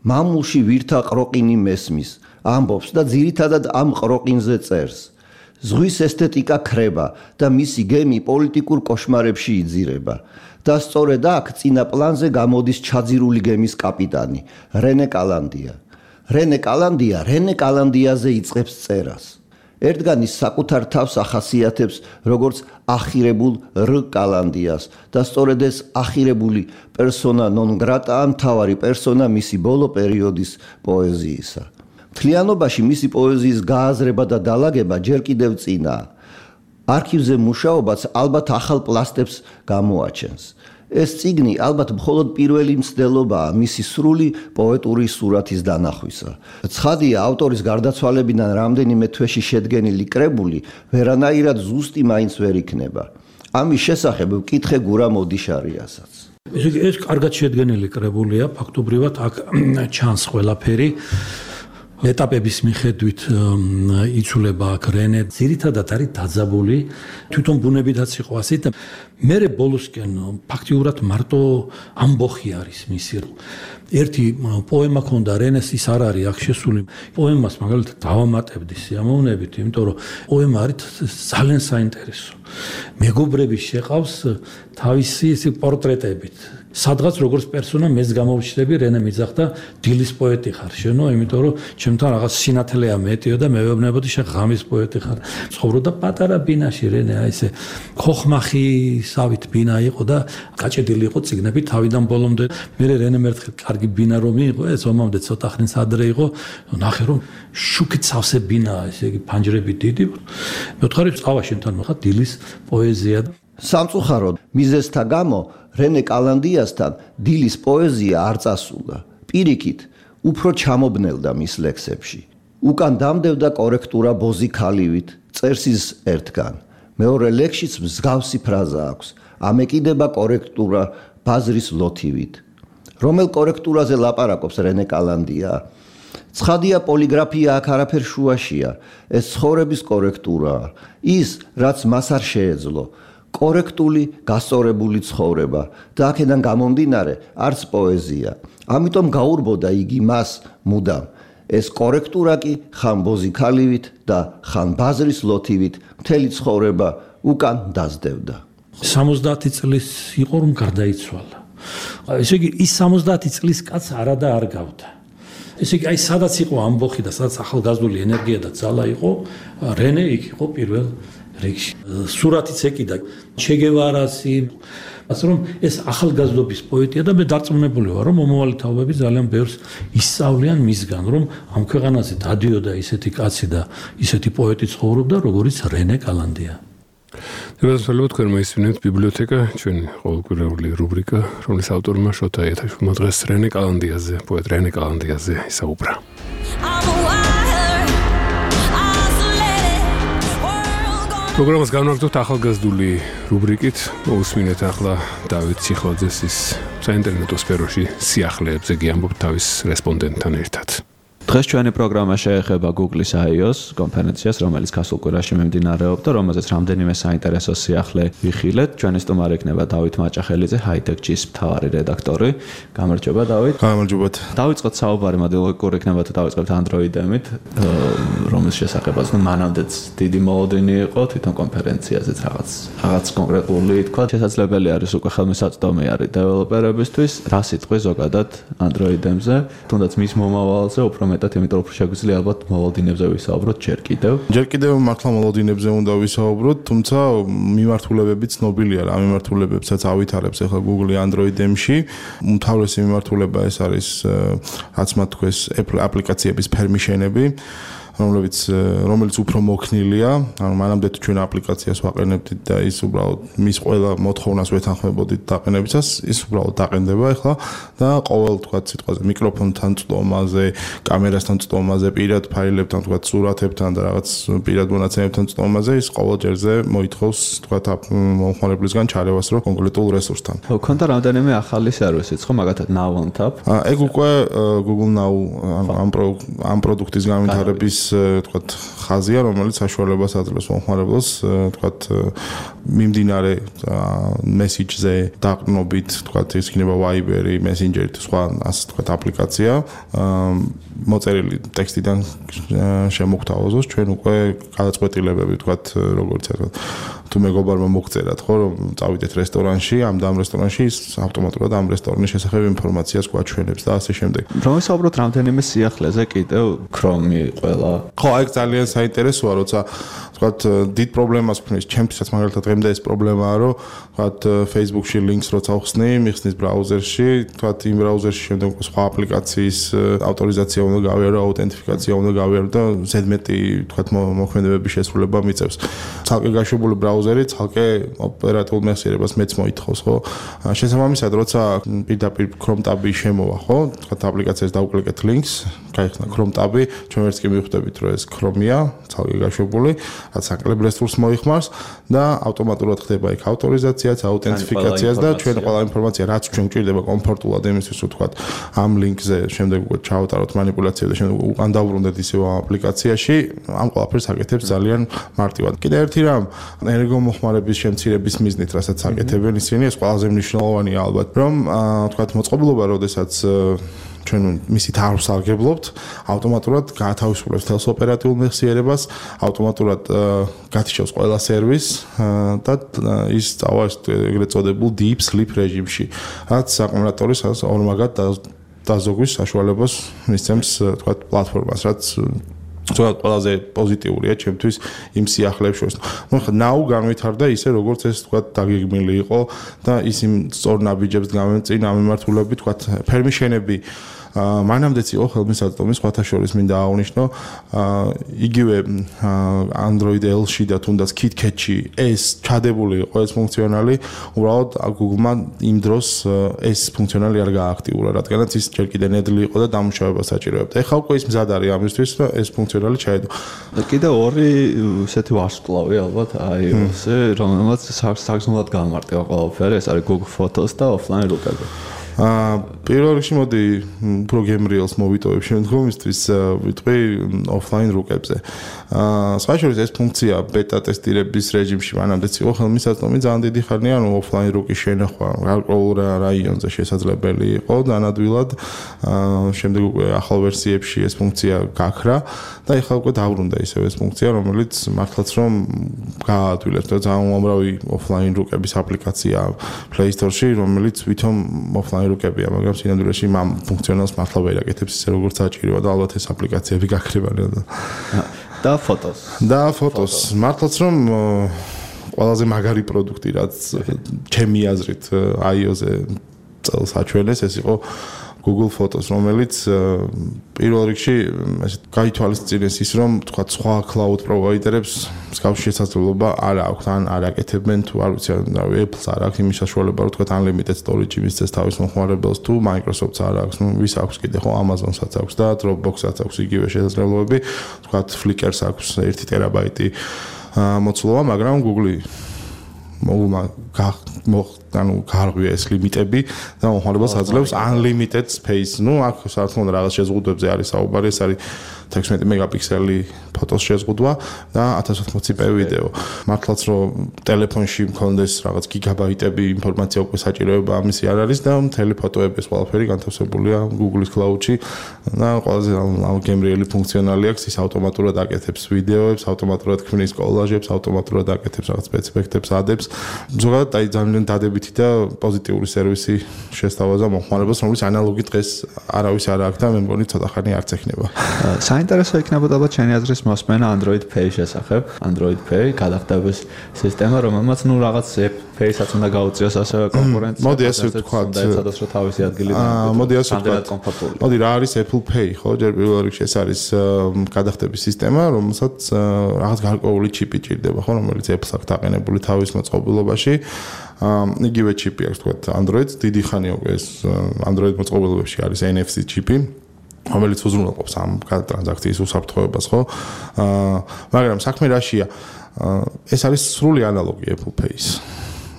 მამულში ვირთა ყროყინი მესმის, ამბობს და ძირითადად ამ ყროყინზე წერს. ზღვის ესთეტიკა ქრება და მისი გემი პოლიტიკურ კოშმარებში იძირება. და სწორედ აქ წინა პლანზე გამოდის ჩაძირული გემის კაპიტანი, რენე კალანდია. რენე კალანდია რენე კალანდიაზე იწყებს წერას. ერთგან ის საკუთარ თავს ახასიათებს როგორც ახირებულ რ კალანდიას და სწორედ ეს ახირებული პერსონა ნონ გრატაა მთავარი პერსონა მისი ბოლო პერიოდის პოეზიისა. მთლიანობაში მისი პოეზიის გააზრება და დალაგება ჯერ კიდევ წინაა. არქივზე მუშაობაც ალბათ ახალ პლასტებს გამოაჩენს. ეს წიგნი ალბათ მხოლოდ პირველი მცდელობაა მისი სრული პოეტური სურათის დანახვისა. ცხადია, ავტორის გარდაცვალებიდან რამდენიმე თვეში შედგენილი კრებული ვერანაირად ზუსტი მაინც ვერ იქნება. ამის შესახებ ვკითხე გურა მოდიშარიასაც.
ესე იგი, ეს კარგად შედგენილი კრებულია, ფაქტობრივად აქ ჩანს ყველაფერი. ეტაპების მიხედვით იცვლება აქ რენე. ძირითადად არის დაძაბული, თვითონ ბუნებითაც იყო ასე და მე ბოლოსკენ ფაქტიურად მარტო ამბოხი არის მისი. ერთი პოემა ქონდა რენეს, ის არ არის აქ შესული. პოემას მაგალითად დავამატებდი სიამოვნებით, იმიტომ რომ პოემა არის ძალიან საინტერესო. მეგობრები შეყავს თავისი ისი პორტრეტებით. სადღაც როგორც პერსონა მეც გამოვჩნდები, რენე მიძახდა დილის პოეტი ხარ შენო, იმიტომ რომ ჩემთან რაღაც სინათლეა მეტიო და მე ვეუბნებოდი შენ ღამის პოეტი ხარ. ცხოვრობდა პატარა ბინაში რენე, აი ესე ხოხმახისავით ბინა იყო და გაჭედილი იყო წიგნები თავიდან ბოლომდე. მე რენე მერთხელ კარგი ბინა რომ იყო, ეს ომამდე ცოტა ხნის ადრე იყო, ნახე რომ შუქით სავსე ბინაა, ესე იგი ფანჯრები დიდი. მეთხარი წავა შენთან მოხდა დილის პოეზია.
სამწუხაროდ მიზეზთა გამო რენე კალანდიასთან დილის პოეზია არ წასულა. პირიქით, უფრო ჩამობნელდა მის ლექსებში. უკან დამდევდა კორექტურა ბოზიქალივით, წერს ის ერთგან. მეორე ლექსშიც მსგავსი ფრაზა აქვს. ამეკიდება კორექტურა ბაზრის ლოთივით. რომელ კორექტურაზე ლაპარაკობს რენე კალანდია? ცხადია, პოლიგრაფია აქ არაფერ შუაშია. ეს ცხოვრების კორექტურაა. ის, რაც მას არ შეეძლო. კორექტული, გასწორებული ცხოვრება და აქედან გამომდინარე არც პოეზია. ამიტომ გაურბოდა იგი მას მუდამ. ეს კორექტურა კი ხან ბოზიქალივით და ხან ბაზრის ლოთივით მთელი ცხოვრება უკან დაძდევდა.
სამოცდაათი წლის იყო რომ გარდაიცვალა. ესე იგი ის სამოცდაათი წლის კაც არა და არ გავდა. ესე იგი აი სადაც იყო ამბოხი და სადაც ახალგაზრდული ენერგია და ძალა იყო, რენე იქ იყო პირველ რიგში. სურათიც ეკიდა ჩეგევარასი, ასე რომ ეს ახალგაზრდობის პოეტია და მე დარწმუნებული ვარ რომ მომავალი თაობები ძალიან ბევრს ისწავლიან მისგან, რომ ამ ქვეყანაზე დადიოდა ისეთი კაცი და ისეთი პოეტი ცხოვრობდა, როგორიც რენე კალანდია.
დაბადებული თქვენ მოისმინეთ ბიბლიოთეკა, ჩვენი ყოველკვირეული რუბრიკა, რომლის ავტორმა შოთა იათაშვილმა დღეს რენე კალანდიაზე, პოეტ რენე კალანდიაზე ისაუბრა. პროგრამას განვაგრძობთ ახალგაზრდული რუბრიკით. მოусმინეთ ახლა დავით ციხოძეს ის საინტერნეტო სფეროში სიახლეებზე გიამბობთ თავის რესპონდენტთან ერთად.
დღეს ჩვენი პროგრამა შეეხება Google-ის I O S კონფერენციას, რომელიც გასულ კვირაში მიმდინარეობდა, რომელზეც რამდენიმე საინტერესო სიახლე ვიხილეთ. ჩვენი სტუმარი იქნება დავით მაჭახელიძე, Hightech-ის მთავარი რედაქტორი. გამარჯობა დავით.
გამარჯობათ.
დავიწყოთ საუბარი, მოდი ლოგიკური იქნება თუ დავიწყებთ Android-ემით, რომლის შესახებაც ნუ მანამდეც დიდი მოლოდინი იყო თვითონ კონფერენციაზეც რაღაც რაღაც კონკრეტული თქვა. შესაძლებელი არის უკვე ხელმისაწვდომი არის დეველოპერებისთვის, რა სიტყვი ზოგადად Android-ემზე, თუნდაც მის მომავალზე უფრო მეტად, იმიტომ რომ შეგვიძლია ალბათ მოლოდინებზე ვისაუბროთ ჯერ კიდევ.
ჯერ კიდევ მართლა მოლოდინებზე უნდა ვისაუბროთ, თუმცა მიმართულებები ცნობილია რა, მიმართულებებსაც ავითარებს ახლა Google Android-ემში. უმთავრესი მიმართულება ეს არის, რაც მათ თქვეს, აპლიკაციების ფერმიშენები. რომლებიც რომელიც უფრო მოქნილია, ანუ მანამდე თუ ჩვენ აპლიკაციას ვაყენებდით და ის უბრალოდ მის ყველა მოთხოვნას ვეთანხმებოდით დაყენებისას, ის უბრალოდ დაყენდება ახლა და ყოველ თქვა სიტყვაზე მიკროფონთან წვდომაზე, კამერასთან წვდომაზე, პირად ფაილებთან, თქვა სურათებთან და რაღაც პირად მონაცემებთან წვდომაზე ის ყოველ ჯერზე მოითხოვს თქვა მომხმარებლისგან ჩარევას რო კონკრეტულ რესურსთან.
ქონდა რამდენიმე ახალი სერვისიც, ხო, მაგათად Now on Tap.
ეგ უკვე Google Now ამ ამ პროდუქტის განვითარების თქვათ ხაზია, რომელიც საშუალებას აძლევს მომხმარებელს თქვათ მიმდინარე მესიჯზე დაყრდნობით, თქვათ ის იქნება Viber-ი, Messenger-ი თუ სხვა ასე თქვათ აპლიკაცია მოწერილი ტექსტიდან შემოგთავაზოს ჩვენ უკვე გადაწყვეტილებები თქვათ როგორც ასე თუ მეგობარმა მოგწერათ ხო რომ წავიდეთ რესტორანში, ამ და ამ რესტორანში ის ავტომატურად ამ რესტორნის შესახებ ინფორმაციას გვაჩვენებს და ასე შემდეგ.
რომ ვისაუბროთ რამდენიმე სიახლეზე კიდევ Chrome-ი ყველა.
ხო, აი ძალიან საინტერესოა, როცა ვთქვათ, დიდ პრობლემას ვქნის, ჩემთვისაც მაგალითად დღემდე ეს პრობლემაა, რომ ვთქვათ, Facebook-ში links როცა ვხსნი, მიხსნის ბრაუზერში, ვთქვათ, იმ ბრაუზერში შემდეგ სხვა აპლიკაციის ავტორიზაცია უნდა გავიარო, აუთენტიფიკაცია უნდა გავიარო და ზედმეტი, ვთქვათ, მოქმედებების შესრულება მიწევს. ცალკე გაშვებული ბრაუზერი, ცალკე ოპერატიულ მეხსიერებას მეც მოითხოვს, ხო? შესაბამისად, როცა პირდაპირ Chrome tab-ი შემოვა, ხო? ვთქვათ, აპლიკაციას დავუკლიკეთ links, გაიხსნა Chrome tab-ი, ჩვენ ვერც კი მივხვდებით, რომ ეს Chrome-ია, ცალკე გაშვებული, რაც აკლებ რესურსს მოიხმარს და ავტომატურად ხდება იქ ავტორიზაციაც, აუთენტიფიკაციაც და ჩვენ ყველა ინფორმაცია, რაც ჩვენ გვჭირდება კომფორტულად იმისთვის, რომ ვთქვათ, ამ ლინკზე შემდეგ უკვე ჩავატაროთ манипуляციები და შემდეგ უკან დავბრუნდეთ ისევ ამ აპლიკაციაში, ამ ყველაფერს აკეთებს ძალიან მარტივად. კიდე ერთი რამ, ენერგომოხმარების შემცირების მიზნით, რასაც აკეთებენ ისინი, ეს ყველაზე მნიშვნელოვანია ალბათ, რომ ვთქვათ, მოწყობილობა, როდესაც ჩვენ მისით არ ვსარგებლობთ, ავტომატურად გაათავისუფლებს თელს ოპერატიულ მეხსიერებას, ავტომატურად გათიშავს ყველა სერვისს და ის წავა ეგრეთ წოდებულ deep sleep რეჟიმში, რაც აკუმულატორის ორმაგად დაზოგვის საშუალებას მისცემს, თქვათ, პლატფორმას, რაც ზოგადად ყველაზე პოზიტიურია ჩემთვის იმ სიახლეებს შორის. ნუ ხა ნაუ განვითარდა ისე როგორც ეს თქვა დაგეგმილი იყო და ის იმ სწორ ნაბიჯებს გამემწინ ამ მიმართულებით თქვა ფერმიშენები მანამდეც იყო ხელმისაწვდომი სხვათა შორის მინდა აღვნიშნო იგივე Android L-ში და თუნდაც KitKat-ში ეს ჩადებული იყო ეს ფუნქციონალი უბრალოდ Google-მა იმ დროს ეს ფუნქციონალი არ გააქტიურა რადგანაც ის ჯერ კიდე ნედლი იყო და დამუშავება საჭიროებდა. ეხლა უკვე ის მზად არის ამისთვის რომ ეს ფუნქციონალი ჩაედო.
კიდე ორი ესეთი ვარსკვლავი ალბათ iOS-ზე რომელმაც საგრძნობლად გამარტება ყველაფერი ეს არის Google Photos და offline რუკები.
აა პირველ რიგში მოდი უფრო გემრიელს მოვიტოვებ შემდგომისთვის ვიტყვი offline რუკებზე. აა სხვა შორის ეს ფუნქცია ბეტა ტესტირების რეჟიმში მანამდეც იყო ხელმისაწვდომი ძალიან დიდი ხანია, რომ offline რუკის შენახვა გარკვეულ რაიონზე შესაძლებელი იყო დანადვილად. აა შემდეგ უკვე ახალ ვერსიებში ეს ფუნქცია გაქრა და ეხლა უკვე დაბრუნდა ისევ ეს ფუნქცია, რომელიც მართლაც რომ გააადვილებს და ძალიან უამრავი offline რუკების აპლიკაცია Play Store-ში, რომელიც ვითომ offline რუკებია, მაგრამ სინამდვილეში ამ ფუნქციონალს მართლა ვერ აკეთებს ისე როგორც საჭიროა და ალბათ ეს აპლიკაციები გაქრებიან და
და ფოტოს.
და ფოტოს. მართლაც რომ ყველაზე მაგარი პროდუქტი რაც ჩემი აზრით iOS-ზე წელს აჩვენეს, ეს იყო Google Photos, რომელიც პირველ რიგში ესე გაითვალისწინეს ის, რომ თქვა სხვა cloud provider-ებს მსგავსი შესაძლებლობა არ აქვს, ან არ აკეთებენ თუ არ ვიცი, Apple-ს არ აქვს იმის საშუალება, რომ თქვა unlimited storage მისცეს თავის მომხმარებელს თუ Microsoft-ს არ აქვს, ну ვის აქვს კიდე ხო Amazon-საც აქვს და Dropbox-საც აქვს იგივე შესაძლებლობები, თქვა Flickr-ს აქვს ერთი ტერაბაიტი მოცულობა, მაგრამ Google-ი მოგმა ანუ გარღვია ეს ლიმიტები და მომხმარებელს აძლევს unlimited space. ну აქ საერთოდ რაღაც შეზღუდვებზე არის საუბარი, ეს არის თექვსმეტი მეგაპიქსელი ფოტოს შეზღუდვა და ათას ოთხმოცი პი ვიდეო. მართლაც რომ ტელეფონში მქონდეს რაღაც გიგაბაიტები ინფორმაცია უკვე საჭიროება ამისი არ არის და მთელი ფოტოები ეს ყველაფერი განთავსებულია Google-ის cloud-ში და ყველაზე გემრიელი ფუნქციონალი აქვს, ის ავტომატურად აკეთებს ვიდეოებს, ავტომატურად ქმნის კოლაჟებს, ავტომატურად აკეთებს რაღაც სპეციფიკებს, ადებს. ზოგადად აი ძალიან დადებითი და პოზიტიური სერვისი შესთავაზა მომხმარებელს, რომელიც ანალოგი დღეს არავის არ აქვს და მე მგონი ცოტა ხანი არც ეხნება.
საინტერესო იქნებოდა ალბათ ჩემი აზრის მოსმენა Android Pay შესახებ. Android Pay გადახდების სისტემა, რომელმაც ნუ რაღაც Pay-საც უნდა გაუწიოს ასევე კონკურენცია.
მოდი ასე ვთქვათ,
სადაც რა თავისი ადგილი და
მოდი ასე ვთქვათ. მოდი რა არის Apple Pay, ხო? ჯერ პირველ რიგში ეს არის გადახდების სისტემა, რომელსაც რაღაც გარკვეული ჩიპი ჭირდება, ხო, რომელიც Apple-ს აქვს დაყენებული თავის მოწყობილობაში. იგივე ჩიპი აქვს თქვათ Android-ს, დიდი ხანია უკვე ეს Android მოწყობილობებში არის N F C ჩიპი. რომელიც უზრუნველყოფს ამ ტრანზაქციის უსაფრთხოებას, ხო? აა მაგრამ საქმე რაშია? ეს არის სრული ანალოგი Apple Pay-ის.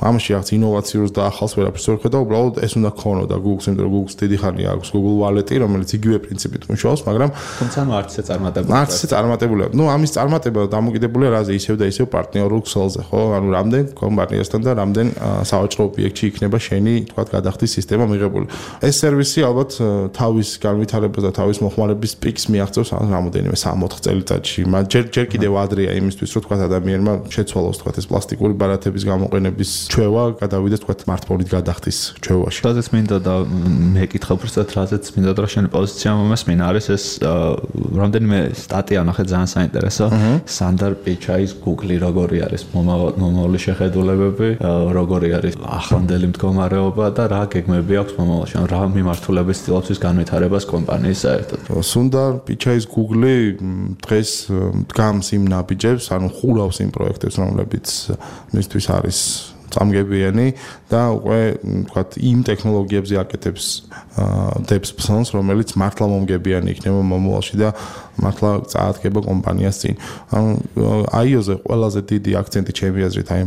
ამაში რაღაც ინოვაციურს და ახალს ვერაფერს ვერ ხედავ, უბრალოდ ეს უნდა ქონოდა Google-ს, იმიტომ რომ Google-ს დიდი ხანია აქვს Google Wallet-ი, რომელიც იგივე პრინციპით მუშაობს, მაგრამ
თუმცა არც ისე წარმატებული.
არც ისე წარმატებულია. ნუ ამის წარმატება დამოკიდებულია რაზე, ისევ და ისევ პარტნიორულ ქსელზე, ხო? ანუ რამდენ კომპანიასთან და რამდენ სავაჭრო ობიექტში იქნება შენი, თქვათ, გადახდის სისტემა მიღებული. ეს სერვისი ალბათ თავის განვითარებას და თავის მოხმარების პიკს მიაღწევს რამოდენიმე სამ ოთხ წელიწადში. ჯერ ჯერ კიდევ ადრეა იმისთვის, რომ თქვათ ადამიანმა შეცვალოს, თქვათ, ეს პლასტიკური ბარათების გამოყენების ჩვევა გადავიდეს თქვა smartphone-ით გადახდის ჩვევაში.
რაზეც მინდა და მეკითხა უბრალოდ რაზეც მინდა და შენი პოზიცია მომესმინა არის ეს რამდენიმე სტატია ნახე ძალიან საინტერესო. სანდარ პიჩაის Google-ი როგორი არის მომავალი შეხედულებები, როგორი არის ახლანდელი მდგომარეობა და რა გეგმები აქვს მომავალში, რა მიმართულების ცდილობს ის განვითარებას კომპანიის საერთოდ.
სუნდარ პიჩაის Google-ი დღეს დგამს იმ ნაბიჯებს, ანუ ხურავს იმ პროექტებს, რომლებიც მისთვის არის წამგებიანი და უკვე ვთქვათ იმ ტექნოლოგიებზე აკეთებს დებს ფსონს, რომელიც მართლა მომგებიანი იქნება მომავალში და მართლა წაადგება კომპანიას წინ. ანუ აიოზე ყველაზე დიდი აქცენტი ჩემი აზრით აი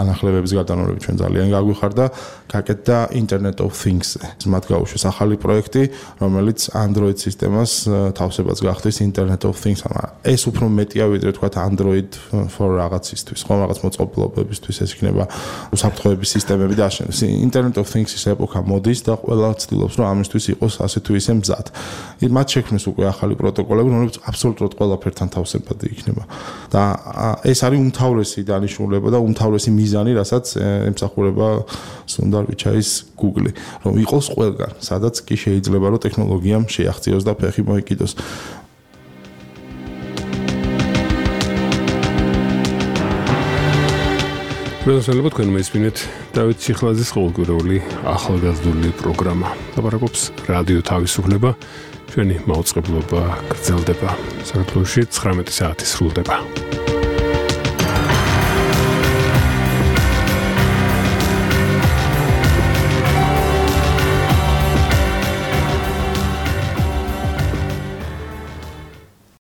ანახლებების გადანორმებით ჩვენ ძალიან გაგვიხარდა გაკეთდა Internet of Things-ზე. მათ გაუშვეს ახალი პროექტი, რომელიც Android სისტემას თავსებაც გახდის Internet of Things. ეს უფრო მეტია ვიდრე თქვათ Android for რაღაცისთვის, ხო, რაღაც მოწყობილობებისთვის ეს იქნება უსაფრთხოების სისტემები და აშენებს. Internet of Things-ის ეპოქა მოდის და ყველა ცდილობს რომ ამისთვის იყოს ასე თუ ისე მზად. მათ შექმნეს უკვე ახალი პროტოკოლები, რომლებიც აბსოლუტურად ყველაფერთან თავსებადი იქნება. და ეს არის უმთავრესი დანიშნულება და უმთავრესი მიზანი, რასაც ემსახურება სუნდარ პიჩაის Google-ი, რომ იყოს ყველგან, სადაც კი შეიძლება რომ ტექნოლოგიამ შეაღწიოს და ფეხი მოიკიდოს.
პროფესორებო, თქვენ მესმინეთ დავით ციხლაძის ყოველკვირეული ახალგაზრდული პროგრამა. ლაპარაკობს რადიო თავისუფლება. ჩვენი მაუწყებლობა გრძელდება. საქართველოში ცხრამეტი საათი სრულდება.